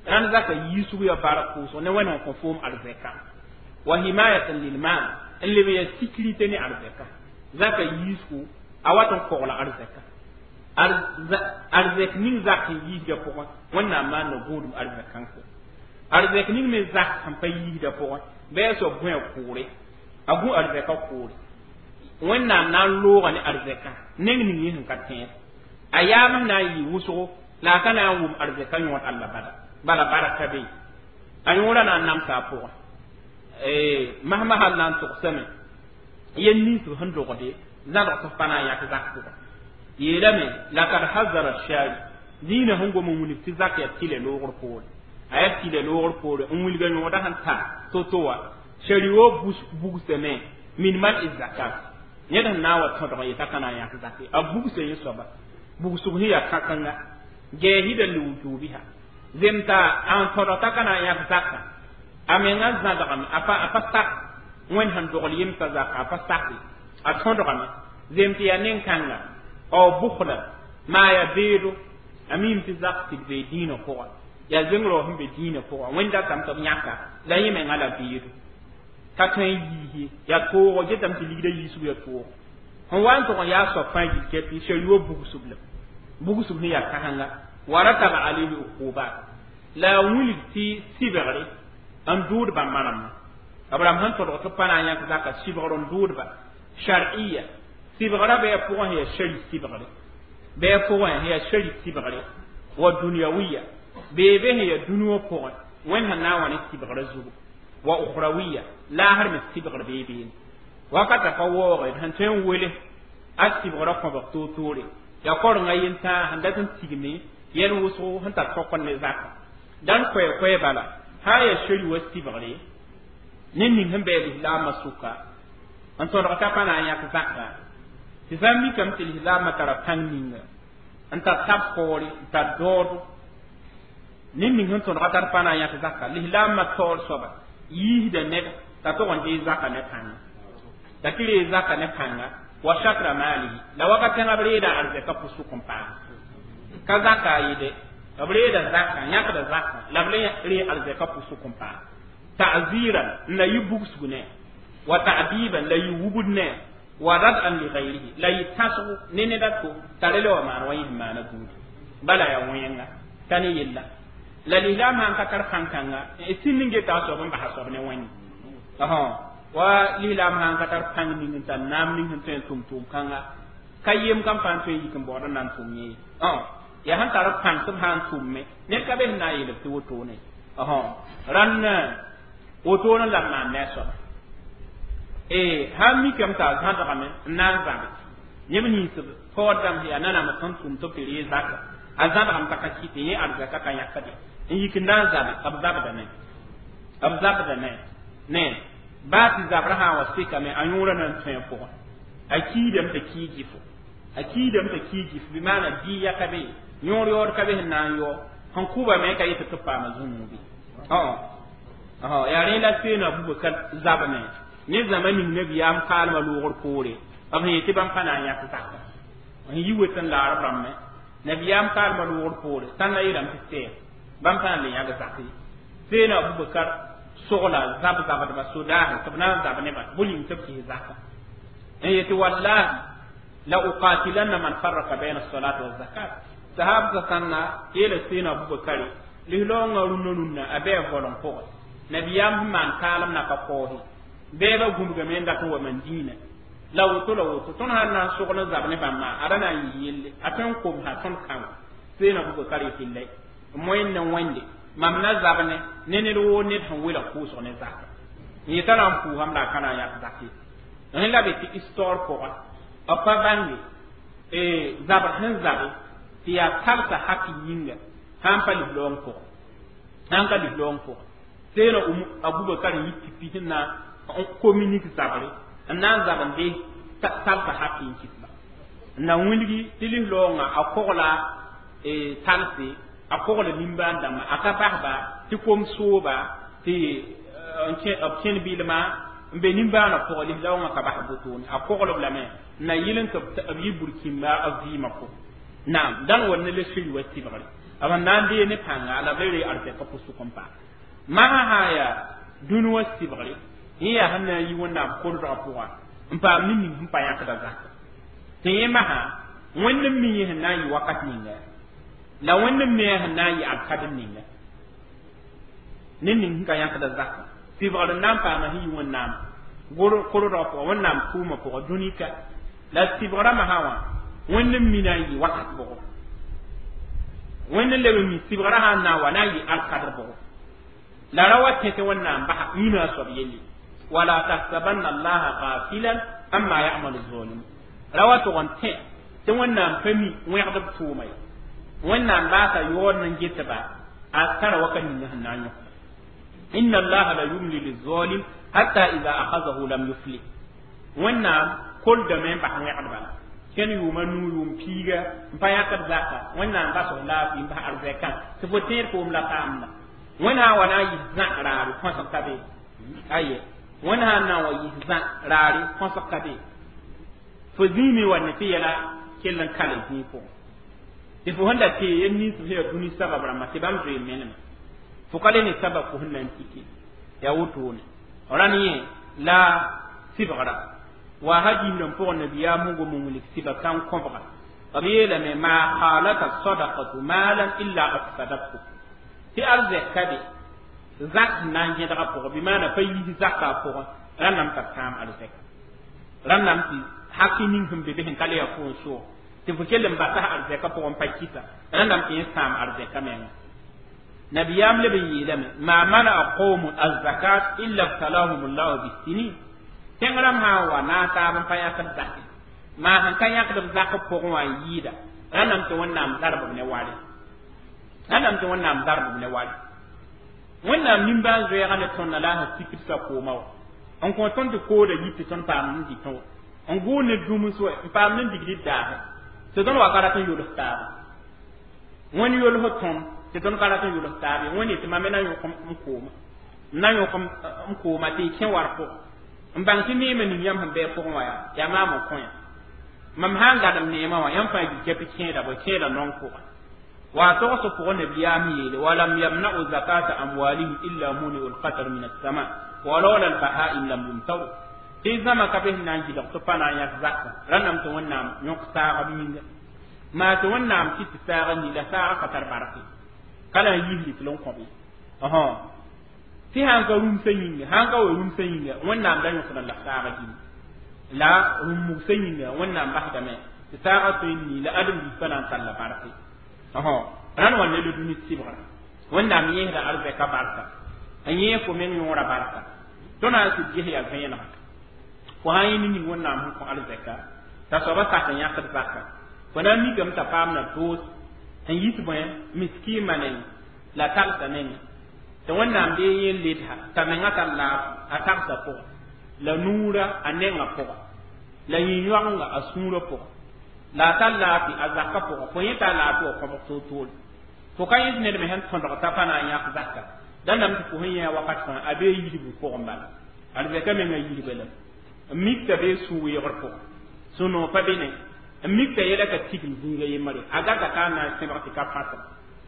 rãnd zaka yiisg yaa bark pʋʋsg ne Wẽnd n kõ foom arzɛka wa himayatan lilmal n leb n yaa sécurité ne arzɛka zaka yiisgo a wat n kogla arzɛka arzɛk ning zak sẽn yiisda pʋgẽ Wẽnnaam maanda gũudum arzɛk kãngsã arzɛk ning me zak sẽn pa yiisda pʋgẽ bɩ a soab gũ a kʋʋre a gũ arzɛka kʋʋre Wẽnnaam na n looga ne arzɛka neng ning yẽ sẽn ka tẽed a yaam na n yɩ wʋsgo la a ka na n wʋm arzɛka yõod alla bada bala baraka be a yõorã na n namsa a pʋgẽ masmasal na n togsame yel nins b sẽn dogde zãdg tɩ f pa na n yãk zak pʋgẽ yeelame lakad hazara shari dĩinã sẽn gom n wilg tɩ zak yaa tɩlɛ loogr poore a yaa tɩlɛ loogr poore n wilga yõoda sẽn ta to-to wã shariwo bugsame min man i zakat ned sẽn na n wa tõdg n yeta ka na n yãk zak ye a bugsa yẽ soaba bugsg sẽn yaa kãkãnga gɛɛsɩda liwujuubiha zemta n tõdg t'a ka na n yãk zaka a menga zãdgame a pa sak Wẽnd sẽn dogl yemsã zaka a pa sake a tõdgame zem tɩ yaa nen-kãnga ao bʋkla maa yaa beedo a miime tɩ zak tɩ d bee dĩinã pʋga yaa zẽng-rao sẽn be dĩinã pʋga Wẽnd datame tɩ b yãka la yẽ menga la beedo ka tõe n yiis ye yaa toogo getame tɩ ligda yiisg yaa toogo sẽn wa n tʋg n yaa soab fãa gilkɛ tɩ shariwa bugsb la bugsb sẽn yaa kãsenga Wa rataba alayhi uqubat la wilg tɩ sɩbgre n dʋʋd bãmba rãmbã b rãmb sẽn tõdg tɩ pa na n yãk zaka sɩbgr n dʋʋdba shar'iyya sɩbgrã bɩ a pʋgẽ yaa shari sɩbgre bɩ a pʋgẽ yaa shari sɩbgre wa dunyawiya bee be sẽn yaa dũni wã pʋgẽ wẽnd sẽn na n wa ne sɩbgrã zugu wa ukhrawiya laasr me sɩbgr bee beene wakata pa waooge d sẽn tõe n wele a sɩbgrã kõbg toor-toore yaa korenga yentãag sẽn dat n tigme yɛl wʋsgo sẽn tar tõk ne zaka dãn koɛɛ-koɛɛ bala sã n yaa shari wa sɩbgre ne ning sẽn bɩ a lislaamã sʋka n tõdg t'a pa na n yãk zaka tɩ sã n mikame tɩ lislaamã tara pãng ninga n tar tab koore n tar daoodo ne ning sẽn tõdga t'a pa na n yãk zaka lislaamã taoor soaba yiisda ned t'a tog n dee zaka ne pãnga t'a tɩ ree zaka ne pãnga wa shatra maalihi la wakat kãngã b reeda arzɛka pʋsʋk n paam ka zaka a yɩde b reeda zaka yãkda zaka la b le ree arzɛka pʋsʋk n paam ta'ziran n la yɩ bugsg ne wa ta'diban la yɩ wubd ne wa rad'an li ghayrihi la yɩ tãsgo ne ned a to t'a re le wa maan wa yẽ sẽn maana buudi bala yaa wẽnga t'a ne yella la lislaam sãn ka tar pãn-kãnga sĩnd n geta a soab n basa soab ne wẽnde wa lislaam sãn ka tar pãng ning n tar naam ning sẽn tõe n tʋm tʋʋm-kãnga ka yem kam fãa n tõe n yik n baood n na n tʋm yẽ yaa sẽn tar pãng tɩ b sã n tʋmme ned ka be sẽn na n yeel tɩ wotone rãnd wotone la b maan ne a soaba sãn mikame t'a zãdgame n na n zabe yẽb nins paood dãmb yaa nanam sẽn tʋm tɩ b tɩ ree zaka a zãdgame t'a ka kɩt yẽ arzɛka ka yãkde n yik n na n zabe b zabdame b zabdame ne baa tɩ zabrã sã n wa sekame a yõorã na n tõe a pʋgẽ a kiidame t'a kii gɩfo a kiidame t'a kii gɩfo bɩ maana dɩɩya ka be yõor yaood ka be sẽn na n yao sẽn kʋbame ka yetɩ tɩ paama zũnuubi yaa rẽ la seena Abubakar zabame ne zãma ning nabiyaam kaalmã loogr poore b sẽn yetɩ bãmb pa na n yãk zaka n yi wet n laar b rãmbẽ nabiyaam kaalmã loogr poore tãnda yeelame tɩ sɛɛg bãmb pa na n le yãg zak ye seena Abubakar sogla zab zabdba sodaasẽ tɩ b na n zab neba bʋ ling tɩ b kɩs zaka n yetɩ wallahi la uqatilanna man farraka bayna as-salat wa zakat sahab sãnna yeela seena Abubakar lislaoongã rũnnã rũnnã a bɩ a volem pʋgẽ nabiyaam sẽn maan kaalem na ka kaoose bɛɛbã gũbgame n dat n wa man dĩinã la woto la woto tõnd sãn na n sogl n zab ne bãmba a ra na n yɩ yelle a tõe n komsa tõnd kãngo seena Abubakar yetɩ lɛ moyen ne wẽnde mam na zab ne ne ned woo ned sẽn welg pʋʋsg ne zaka n yetã na n pʋʋsame la a ka na n yãk zak ye rẽ la be tɩ histoire pʋga b pa bãnge zabr sẽn zabe tɩ yaa talsa hak yĩnga sã n pa lislaoong pʋgẽ sã n ka lislaoong pʋgẽ seena Abubakar n yi pipi sẽn na n communique zabre n na n zab n de talsa hak n kɩtba n na wilgi tɩ lislaoongã a kogla talse a kogla nimbãan dãmbã a ka basba tɩ kom sooba tɩ b kẽn bɩlma n be nimbãanã pʋgẽ lislaoongã ka bas wotone a koglb lame n na yɩl n tɩ b yɩ burkĩmba b vɩɩmã pʋgẽ naam dãn wa ne le siri wa sɩbgre b sẽn na n dee ne pãnga la b le ree arzɛka pʋsʋk n paam masã sã n yaa dũni wã sɩbgre yẽ yaa sẽn na n yi wẽnnaam koldgã pʋgã n paam ne ning sẽn pa yãkda zaka tɩ yẽ masã wẽnd n mi yẽ sẽn na n yɩ wakat ninga la wẽnd n me sẽn na n yɩ alkadr ninga ne ning sẽn ka yãkda zaka sɩbgr n na n paama sẽn yi wẽnnaam koldgã pʋgã wẽnnaam tʋʋmã pʋgã dũni ka la sɩbgrã masã wã wẽnd n mi na n yɩ wakat bʋgo wẽnd n leb n mi sɩbgrã sã n na n wa na n yɩ alkadr bʋgo la ra wa tẽ tɩ wẽnnaam basa yĩna a soab yelle wala tahsabanna allaha ghafilan amma ya'malu zalimun ra wa tʋg n tẽ tɩ wẽnnaam pa mi wẽgd b tʋʋma ye wẽnnaam baasa yaood n getba a tara waka ninga sẽn na n yõkda inna allaha la yumli lizalim hatta idha akhazahu lam yufli wẽnnaam koldame n bas wẽgd bala kẽn yʋʋma nuu yʋʋm piiga n pa yãkd zaka wẽnnaam bas f laafɩ n bas arzɛkã tɩ fo tẽed foom la paamda wẽnd sã n wa na n yɩs zã raare kõsg ka be aye wẽnd sã n na n wa yɩs zã raare kõsg ka be fo zĩime wa ne tɩ yɛla kell n kale zĩig pʋgẽ tɩ fo sẽn da tee yel nins sẽn yaa dũni sabab rãmbã tɩ bãmb zoe meneme fo ka le ne sabab fo sẽn na n tike yaa wotone rãnd yẽ la sɩbgra wa ha gĩsrã pʋgẽ nabiyaam sẽn gom n wilg sɩba kãng kõbga B yeelame maa khalata sadaqatu maalan illa afsadathu tɩ arzɛka be zak sẽn na n gẽdga pʋgẽ bɩ maana pa yiis zaka pʋgẽ rãnname t'a sãam arzɛka rãnname tɩ haki ning sẽn be be sẽn ka le yaa fo n soog tɩ fo kell n basa arzɛka pʋgẽ pa kɩsa rãnname tɩ yẽ sãam arzɛka menga nabiyam leb n yeelame ma manaa qawmun azakat illa ibtalahum llahu bisinin tẽng rãmb sã n wa na n taab n pa yãkd zake maa sẽn ka yãkd b zak pʋgẽ wã n yɩɩda rãnname tɩ Wẽnnaam zarb b ne wale rãnname tɩ Wẽnnaam zarb b ne wale Wẽnnaam nimbãan-zoɛɛgã ne tõndã la a sẽn sikd sakoomã wã n kõ tõnd tɩ kooda yit tɩ tõnd paam n dɩtẽ wã n gʋʋd ne dũms wɛ n paam ne digd daasẽ tɩ tõnd wa ka rat n yols taaba Wẽnd yols tõnd tɩ tõnd ka rat n yols taab ye Wẽnd yetɩ mam me na yõk n kooma m na yõk n kooma tɩ y kẽ war pʋgẽ n bãng tɩ neemã ning yãmb sẽn bɩ pʋgẽ wã yaa yaa maam n kõ yã mam sã n gadem neemã wã yãmb fãa yikã tɩ kẽeda bõe kẽeda nong pʋgẽ wa togs pʋgẽ nabiyaam yeele walam yamna'u zakata amwalihim illa muni'u lqatar min assama walaula albahaim lam yumtaru tɩ zãma ka be sẽn na n gɩlg tɩ pa na n yãk zaka rãnname tɩ Wẽnnaam yõk saagb yĩnga maa tɩ Wẽnnaam kɩt tɩ saaga ni la saaga ka tar barke ka la n yisd tɩ l n kõb ye tɩ sãn ka rũmsã yĩnga sãn ka wa rũmsã yĩnga Wẽnnaam da yõkda la saaga gĩnga la rũm-mugsã yĩnga Wẽnnaam basdame tɩ saaga tõe n nii la ãdem-biis pa na n tall la barke rãnd wa ne la dũni sɩbgra Wẽnnaam yẽesda arzɛka barka n yẽes fo meng yõora barka tõnd na n sɩd ges yaa vẽenega fo sã n yẽ ne ning Wẽnnaam sẽn kõ arzɛka t'a soaba sak n yãkd zaka fo na n mikame t'a paam na doos n yit bõe miskiimã neng la tagsa nengẽ tɩ Wẽnnaam bee yẽ ledsa t'a menga tar laaf a tagsa pʋgẽ la nuurã a nengã pʋgẽ la yĩn-yoagenga a sũurã pʋgẽ la a tar laafɩ a zaka pʋgẽ fo yẽ tar laafɩ wa kõbg toor-toore fo ka yẽ ned me sẽn tõdg t'a pa na n yãk zaka dãndame tɩ fo sẽn yẽ wakat fãa a bee yidbu pʋgẽ bala arzɛka menga yidba la n mik t'a bee sũ-weegr pʋgẽ sũ-noog pa be ne n mik t'a yɛla ka tigim zĩiga yembre a gata ka n na n sẽbg tɩ ka fãsem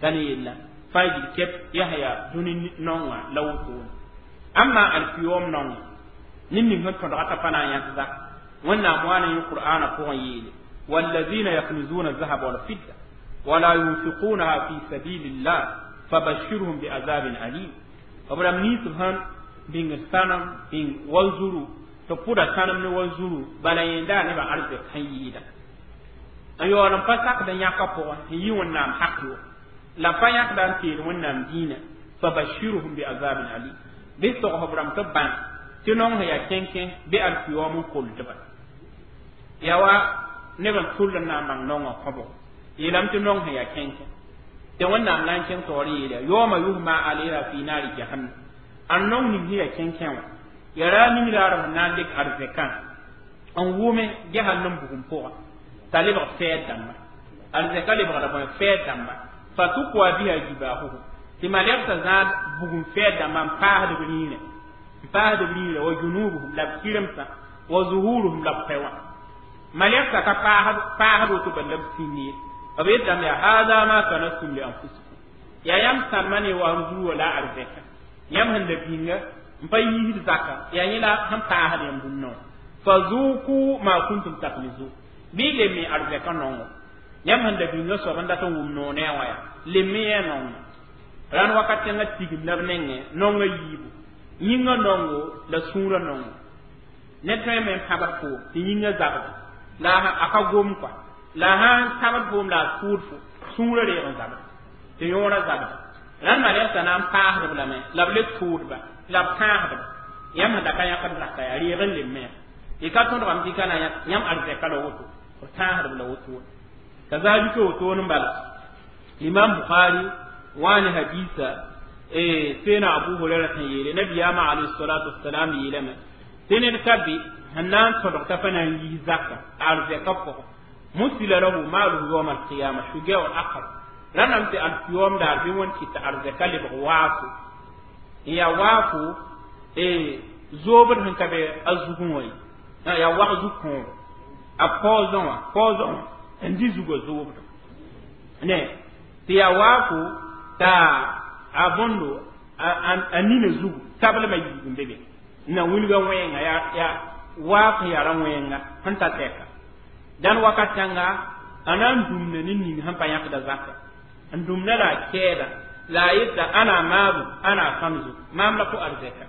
t'a ne yella fãa yil kɛp yaa yaa dũni naongã la wotone amma alkiyoom naongã ned ning sẽn tõdga t'a pa na n yãk zak Wẽnnaam wa ne yẽ qur'aana pʋgẽ yeele والذين يكنزون الذهب والفضة ولا ينفقونها في سبيل الله فبشرهم بعذاب أليم b rãmb nins sẽn bĩngd sãnem bĩng wa-zuru tɩ pʋda sãnem ne wa-zuru bala yẽnda nebã arzɛk sẽn yɩɩda n yaool n pa sakd n yãka pʋgẽ n yɩ Wẽnnaam hak yo la pa yãkda n teed Wẽnnaam dĩinã fabashirhum biazabin alim bɩ togs b rãmb tɩ bãn tɩ nong sẽn yaa kẽnkẽ bɩ alkiyoom n koldba yaa wa neb n tʋll n na n bãng nongã kõbg yeelame tɩ nong sẽn yaa kẽnkẽ tɩ Wẽnnaam na n kẽng taoor yeela yaoma yuhma alayha fi naari jahannam an nong ning sẽn yaa kẽnkẽ wã yaa ra ning raarb sẽn na n dɩk arzɛkã n wʋme jahannam bugum pʋgã t'a lebg fɛɛd dãmba arzɛka lebgda bõe fɛɛd dãmba fatukwa biha jibahuhum tɩ malɛgsã zãad bugum fɛɛd dãmba n paasd b rĩirẽ n paasd b rĩirẽ wa junubuhum la b kɩremsã wa zuhuruhum la b pɛ wã malɛgsã ka paasd woto bal la b sĩnd ye b yetame yaa hada ma kanastum li anfusikum yaa yãmb sãlma ne wa m zuru la arzɛka yãmb sẽn da bĩnga n pa yiisd zaka yaa yẽ la sẽn paasd yãmb bũmb noor fazuku ma kuntum taknizun bɩ leme arzɛka nongo yãmb sẽn da bĩnga soab n dat n wʋm noor ne a wã yaa leme yaa nongo rãnd wakat kẽngã tigim la b nengẽ nongã yiibu yĩngã nongo la sũurã nongo ned tõeme n pãbd foom tɩ yĩngã zabda la a ka gom kɔa la sãn tabd foom la a tʋʋd fo sũurã reeg n zabda tɩ yõorã zabda rãnd malɛgsã na n paasdb lame la b le tʋʋdba la b tãasdba yãmb sẽn da ka yãkd zaka yaa reeg n lemme yaa y ka tõdgame tɩ ka na yãmb arzɛka la woto b tãasdb la wotone kazalika wotone n bala Imam Bukhari wani hadisa sena Abu Hurairah sẽn yeele nabiyaamã alayhi salatu wassalam yeelame tɩ ned ka be sẽn na n tõdg t'a pa na n yiis zaka arzɛka pʋgẽ musila lahu maaluhu yawma alqiyama shujaun aqrab rãnname tɩ alkiyoom daar bɩ wẽnd kɩt tɩ arzɛka lebg waafo n yaa waafo zoobd sẽn ka be a zugẽ wã ye yaa wag zu-kõogo a paoozẽ wã paoozẽ wã n dɩ zugã zoobd ne tɩ yaa waafo t'a a bõndo a nina zugu tablmã yiib n be be na wilga wẽnga yaa waaf sẽn yaa ra wẽnga sẽn ta tɛka dãn wakat kãnga A na n dũmda ne ning sẽn pa yãkda zaka n dũmda la a kɛɛda la a yeta ãna maabu ãna a sãmzu maam la fo arzɛka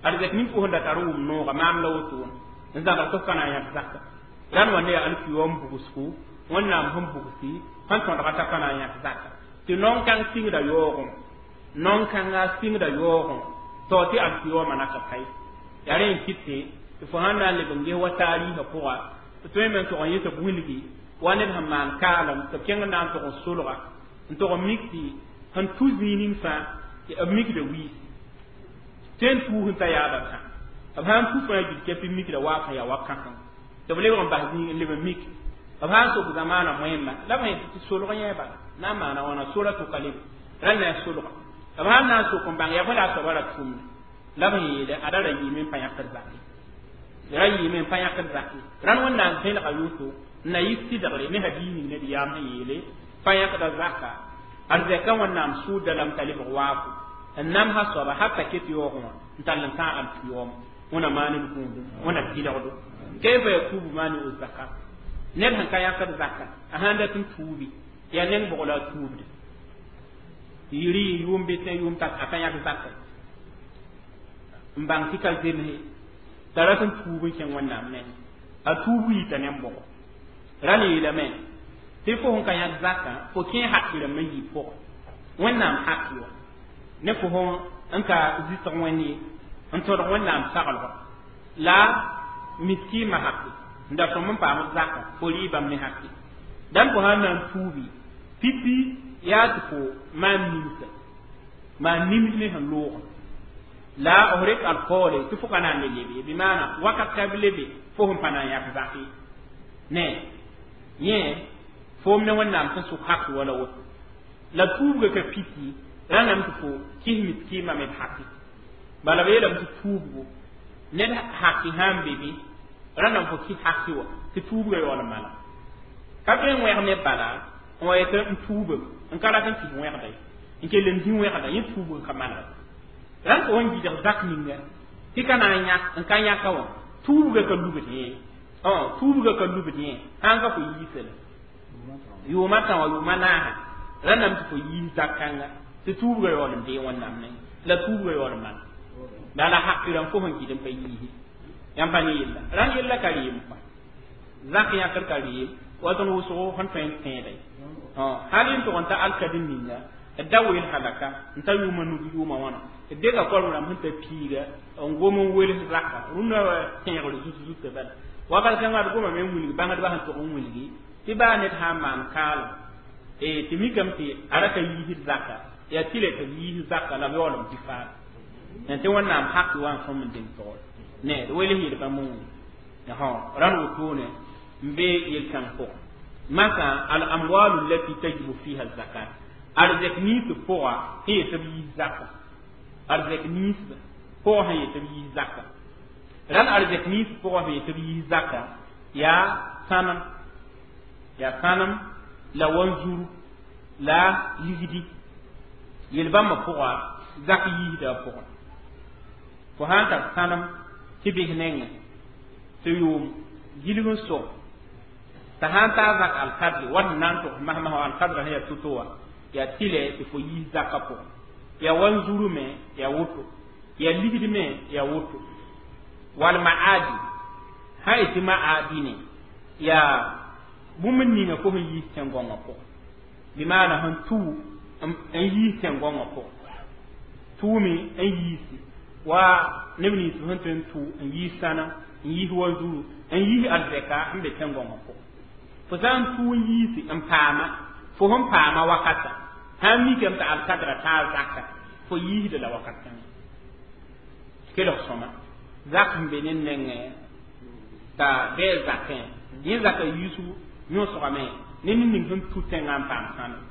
arzɛk ning fo sẽn da tar wʋm nooga maam la wotone n zãbg tɩ f ka na n yãk zaka rãnd wa ne ya alkiyoom bugsgo Wẽnnaam sẽn bugsi sẽn tõdga t'a ka na n yãk zaka tɩ naon-kãng sɩngda yaoogẽ naon-kãnga sɩngda yaoogẽ tao tɩ alkiyoomã naka pa ye yaa rẽ n kɩt tɩ fo sãn na n leb n ges wa taariisã pʋga tɩ tõeme n tog n yẽ tɩ b wilgi wa ned sẽn maan kaalem tɩ b kẽng n na n tog n solga n tog n mik tɩ sẽn tu zĩig ning fãa b mikda wiisi tõe n tuus n ta yaabã sã b sãn tu fãa gil kɛpɩ mikda waaf n yaa wa-kãseng tɩ b lebg n bas zĩig n leb n mik b sãn sok zamaana moẽmba la b sẽn tɩ solg yẽ bala na n maana wãna sora tʋka lebe rãnd na n solga b sãn na n sok n bãng yaa bõe la a soaba ra tʋmda la b sẽn yeele ada ra yɩɩme n pa yãkd zake ra yɩɩme n pa yãkd zake rãnd Wẽnnaam vẽlga yoto n na yɩ sɩdgre ne hadiis ning ned yaam sẽn yeele pa yãkda zaka arzɛka Wẽnnaam sʋʋda lame t'a lebg waafo n namsa soaba hatta ket yaoogẽ wã n tall n tãag alkiyooma wẽna maan d gũudum wẽna tɩlgdo kayfa yatubu mani'u zaka ned sẽn ka yãkd zaka a sãn dat n tuubi yaa neng bʋg la a tuubde yiri yʋʋm bɩ yʋʋm t'a a ka yãk zaka n bãng tɩ ka zemse t'a rat n tuub n kẽng Wẽnnaam neng a tuub yita ne n bʋgo rãnd yeelame tɩ fo sẽn ka yãk zakã fo kẽ haki rãmb n yɩ pʋgẽ Wẽnnaam haki wa ne fo sẽn ka zɩsg Wẽnd ye n tõdg Wẽnnaam saglgo la miskiimã haki n da sõm n paam zaka fo rɩ bãmb ne haki dãmb fo sãn na n tuubi pipi yaa tɩ fo maan nimsa maan nims ne sẽn loogã la f rek alkoole tɩ fo ka na n le lebe bɩ maana wakat ka b lebe fo sẽn pa na n yãk zak ye ne yẽ foom ne Wẽnnaam sẽn sʋk haki wala woto la tuubga ka piti rãndame tɩ fo kis miskiimã me d haki bala b yeelame tɩ tuubgo ned haki sãn be be rãndame fo kis haki wa tɩ tuubga yaool n mala ka tõe n wẽg ne bala n wa yetɩ n tuubem n ka rat n kis wẽgda ye n kell n dĩ wẽgda yẽ tuubg ka malga rãnd fo sẽn gɩdg zak ninga tɩ ka na n yãk n ka yãka wã tuubga ka lubd yẽ tuubga ka lubd yẽ sãn ka fo yiisa la yʋʋma tã wã yʋʋma naasa rãndame tɩ fo yiis zak kãnga tɩ tuubga yaool n dee Wẽnnaam ne la tuubga yaool n mala la la haki rãmb fo sẽn gɩd n pa yiisi yãmb pa ne yella rãnd yella ka reem kɔa zak yãkr ka reem wa tõnd wʋsgo sẽn tõe n tẽeda ye hal n tʋg n ta alkadem ninga d da weel halaka n ta yʋʋma nug yʋʋma wãna d dega koalem rãmb sẽn ta piiga n gom n wels zaka rũnnã tẽegr zut zutã bala wakat kãngã d gomame n wilg bãngdbã sẽn tʋg n wilgi tɩ baa ned sã n maan kaalem tɩ mikame tɩ a ra ka yiisd zaka yaa tɩ le tɩ b yiis zaka la b yaool b dɩ faam tɩ Wẽnnaam haki wa n sõm n deng togr ne d wels yel bãmb n wilg rãnd wotone n be yel-kãng pʋgẽ masã al amwalu allati tajibu fiha zakat arzɛk ninsb pʋga sẽn yetɩ b yiis zaka arzɛk ninsb pʋgã sẽn yetɩ b yiis zaka rãnd arzɛk ninsb pʋgã sẽn yetɩ b yiis zaka yaa sãnem yaa sãnem la wanzuru la ligdi yel-bãmbã pʋga zak yiisda a pʋgẽ fo sãn tar sãnem tɩ bes nengẽ tɩ yʋʋm gilg n sog t'a sãn taa zak alkadre wat n na n tʋgs masmas wa alkadra sẽn yaa to-to wã yaa tɩlɛ tɩ fo yiis zakã pʋgẽ yaa wanzuru me yaa woto yaa ligd me yaa woto wal ma'adi sã yetɩ ma'adine yaa bũmb ninga fo sẽn yiis tẽn-gõngã pʋgẽ bɩ maana sẽn tuu n yiis tẽn-gõngã pʋgẽ tuume n yiisi wa neb nins sẽn tõe n tuu n yiis sãnem n yiis wanzuru n yiis arzɛka n be tẽn-gõngã pʋgẽ fo sã n tuu n yiisi n paama fo sẽn paama wakata sãn mikame tɩ alkadra taa zaka fo yiisda la wakat kãngã kelg sõma zak sẽn be ne nengẽ t'a bɩ zakẽ yẽ zaka yiisgu yõsgame ne ned ning sẽn tu tẽngã n paam sãnem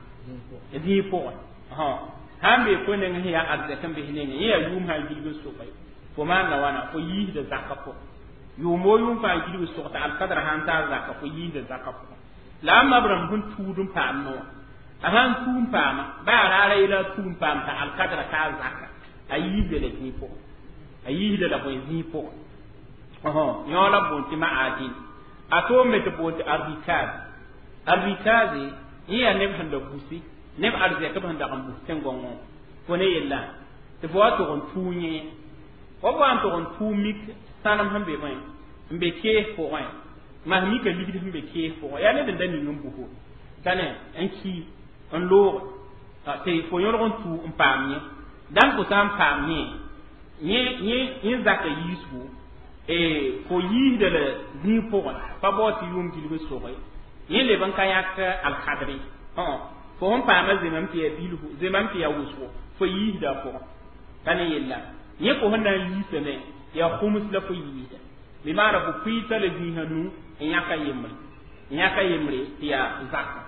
zĩig pʋgẽ sãn bee fo neng sẽn yaa arzɛk n bes nengẽ yẽ yaa yʋʋm sã n gilg n soka fo maanda wãna fo yiisda zakã pʋgẽ yʋʋm o yʋʋm fãa gilg sog t'a alkadra sãn taa zaka fo yiisda zakã pʋgẽ la a mab rãmb sẽn tuud n paam wã a sãn tuu n paama baa raara yela a tuu n paam t'a alkadra taa zaka a yiisda la zĩig pʋgẽ a yiisda la bõe zĩig pʋgẽ yõ la boon tɩ ma'adin a toom me tɩ boon tɩ arrikab Al-rikazi yẽ yaa neb sẽn da busi neb arzɛk b sẽn dag n bus tẽn-gõngõ fo ne yella tɩ fo wa tog n tuu yẽ wa fo wa n tog n tuu mik sãnem sẽn be bõe n be kees pʋgẽ mas mika ligd sẽn be kees pʋgẽ yaa ned n da ning n buso t'a ne n ki n loog tɩ fo yõlg n tuu n paam yẽ dãmb fo sã n paam yẽ yẽ zaka yiisgo fo yiisda la zĩig pʋgẽ pa bao tɩ yʋʋm gilg n soge yẽ leb n ka yãk alkadre fo sẽn paama zemam tɩ yaa bilfu zemam tɩ yaa wʋsgo fo yiisda a pʋgẽ t'a ne yella yẽ fo sẽn na n yiisame yaa khumus la fo yiisda bɩ maana fo pʋɩta la zĩisã nu n yãka yembre tɩ yaa zaka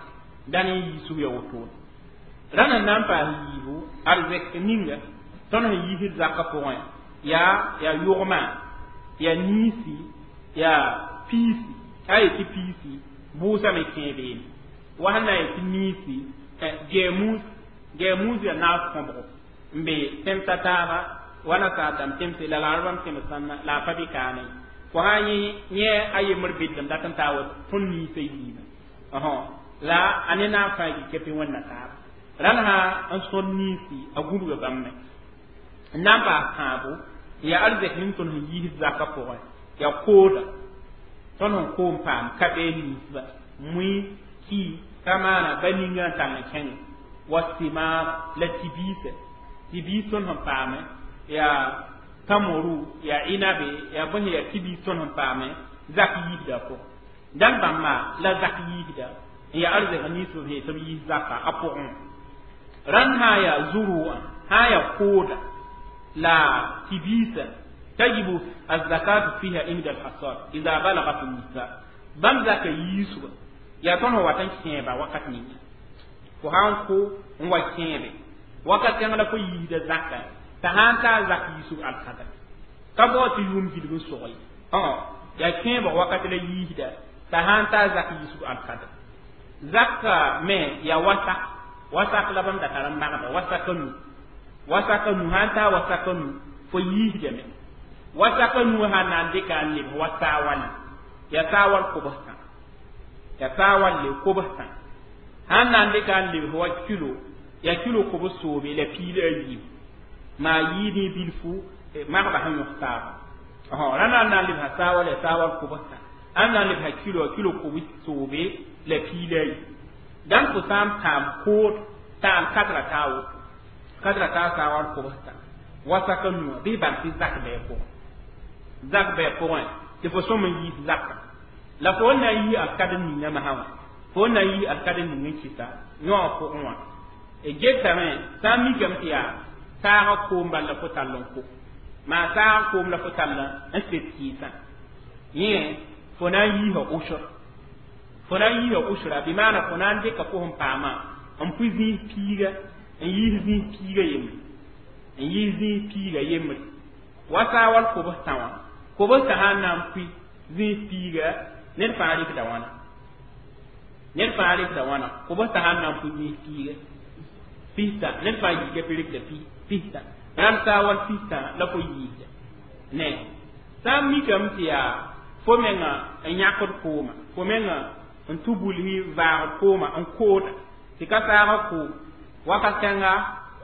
dãn n yiisg ya wotone rãnd sẽn na n paas yiibu arzɛk ninga tõnd sẽn yiisd zakã pʋgẽ yaa yʋgma yaa niisi yaa piisi a yetɩ piisi bʋʋsame kẽe beene wa sẽn na n yetɩ niisi gɛɛmuus yaa naas kõbgo n be tẽmsa taaba wa nasaar dãmb tẽmse la laarbãmb tẽms sãnna la a pa bɩ kaane fo sã yẽ a yembr bɩdlem dat n taa wa tõnd niisã yiibã la a ne naag fãa gika tɩ wẽnna taaba rãnd sã n sõd niisi a gũbga bãmb me n na n paas tãabo yaa arzɛk ning tõnd sẽn yiisd zakã pʋgẽ yaa kooda tõnd sẽn koom paam ka bee niisba mui ki ka maana ba ninga n tall n kẽnge wa simaar la tɩ-biisã tɩ-biis tõnd sẽn paame yaa tamoru yaa inabe yaa bõe yaa tɩ-biis tõnd sẽn paame zak yiisda a pʋgẽ dãn bãmba la zak yiisda n yaa arzɛk niis b sẽn tɩ b yiis zaka a pʋgẽ rãnd sã n yaa zuruã sã n yaa kooda la tɩ-biisã tajibu الزكاة فيها عند الحصاد إذا بلغت النساء bãmb zaka yiisga yaa tõnd sẽn wat n kẽeba wakat ninga fo sã n ko n wa kẽebe wakat kãng la fo yiisda zaka t'a sã n taa zak yiisg alkadr ka bao tɩ yʋʋm gilg n sog ye yaa kẽebg wakat la yiisda t'a sã n taa zak yiisg alkadr zaka me yaa wasak wasak la bãmb da tar n magda wasaka nu sã n taa wasaka nu fo yiisdame wasaka nu sã na n dɩka n lebs wa saawal yaa saawal kobstã yaa saawal le kobstã sã n na n dɩka n lebs wa kilo yaa kilo kobs soobe la piila a yiib maa yiid bilfu magba sẽn yõs taaba rãnd n na n lebsa saawal yaa saawal kobstã ãn na n lebsa kilo a kilo kobs soobe la piila a yiib dãmb fo sã n paam kood t'a alkadra taa woto kadra taa saawal kobstã wasaka nuwã bɩ bãmb tɩ zak bɩ pʋgẽ zak bɩ pʋgẽ tɩ fo sõm n yiis zaka la fo n na n yi alkadr ninga masã wã fo n na n yi alkadr ning n kɩta yõa pʋgẽ wã getame sã n mikame tɩ yaa saagã koom bal la fo tall n ko maa saagã koom la fo tall n set kɩɩsã yẽ fo na n yiisa usr fo na n yiisa usra bɩ maana fo na n dɩka fo sẽn paamã n pʋ zĩis piiga n yiis zĩis piiga yembre n yiis zĩis piiga yembre wa saawal kobstã wã kobstã sã n na n pʋɩ zĩis piiga ned fãa rɩkda wãna ned fãa rɩkda wãna kobstã sã n na n pʋɩ zĩis piiga pista ned fãa yika tɩ rɩkda pista rãnd saawal pista la fo yiisda ne sã n mikame tɩ yaa fo menga n yãkd kooma fo menga n tʋ bulsi vaagd kooma n kooda tɩ ka saagã koom wakat kãnga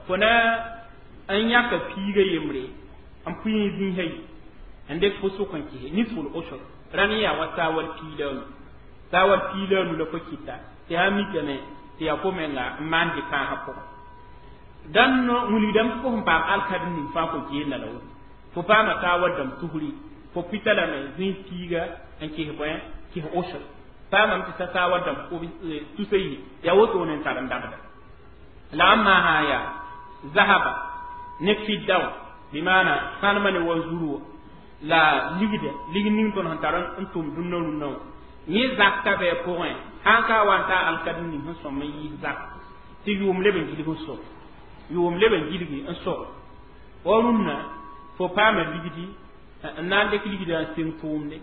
fo na n yãka piiga yembre n pʋɩ zĩisã yi n dɩk fo sʋk n kɩse nisful usr rãnd yaa wa saawal piila nu la fo kɩta tɩ sã n mikame tɩ yaa fo menga n maan dɩ-pãasã pʋgẽ dãn wilgdame tɩ fo sẽn paam alkadr ning fãa fo geenda la woto fo paama saawal dãmb tusri fo pita lame zĩis piiga n kɩs bõe kɩs usr paamame tɩ sa saawal dãmb tusa yi yaa wotone n tar n dabda la ãmb maa sã n yaa zahaba ne fidda wã bɩ maana sãnemã ne wa zuru wã la ligda lig ning tõnd sẽn tar n tʋm dũnna rũnnã wã yẽ zakka bɩ pʋgẽ sã n ka wa n taa alkadr ning sẽn sõm n yiis zak tɩ yʋʋm leb n gilg n sog yʋʋm leb n gilgi n sog wa rũnnã fo paama ligdi n na n dɩk ligdã n seng tʋʋmde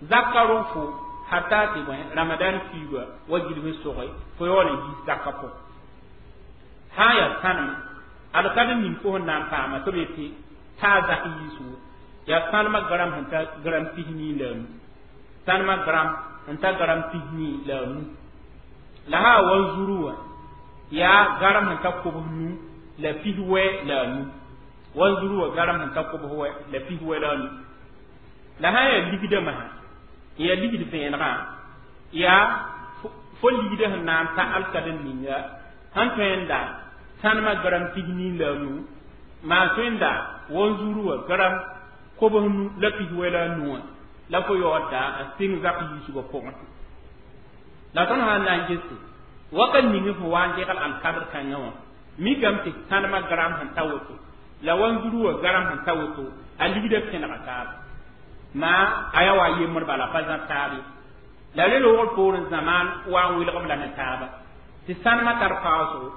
zakka rog fo hata tɩ bõe ramadan fiiga wa gilg n soge fo yaool n yiis zakka pʋgẽ sã n yaa sãnema alkadr ning fo sẽn na n paama tɩ b yetɩ taa zak yiisgo yaa sãnemã gram sẽn ta gram 42 la a nu sãnemã gram n ta gram 42 la a nu. La sã wanzuru wã yaa garam sẽn ta kobs nu la pis wɛ la a nu. Wanzuru wã garam sẽn ta kobs wɛ la pis wɛ la a nu. La sã n yaa ligdã masã n yaa ligd vẽenegã yaa fo ligdã sẽn na n ta alkad n ninga sẽn tõe n da sãnemã gram pis nii la a nu maa tõe n da wanzuru wã gram kobs nu la pis wɛ la a nu wã la fo yaoodda n sɩng zak yiisgã pʋgẽ. La tõnd sã n na n gese wakat ning fo wa n degl alkadr kãngã wã mikame tɩ sãnemã gram sẽn ta woto la wanzuru wã gram sẽn ta woto a ligdã pẽnega taaba maa a yaa wa yembr bala pa zã taab ye. La re loogr poorẽ zamaan wa n welg b la ne taaba tɩ sãnemã tar paoosgo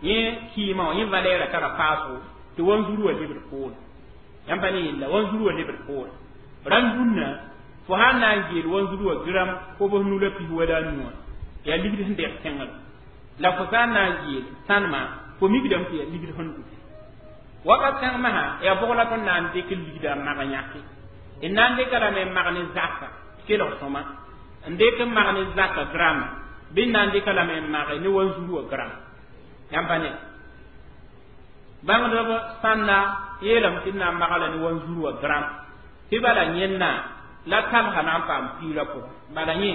yẽ kɩɩmã wã yẽ valɛɛrã tara paasgo tɩ wanzuru wã lebd poore. Yãmb pa ne yella wanzuru wã lebd poore. Rãmb dũnna fo sã n na n geel wanzuru wã gram kobs nu la pis wɛ la a nu wã yaa ligd sẽn deg tẽngr la fo sã n na n geel sãnemã fo mikdame tɩ yaa ligd sẽn dʋ. Wakat kãng masã yaa bʋg la tõnd na n dɩk ligdã n mag yãke n na n dɩka lame n mag ne zaka kelg sõma n dɩk n mag ne zaka grama bɩ n na n dɩka lame n mage ne wanzuru wã gram. Yãmb pa ne bãngdb sãnda yeelame tɩ d na n magla ne wanzuru wã gram tɩ bala yẽnna la talsã na n paam piirã pʋgẽ bala yẽ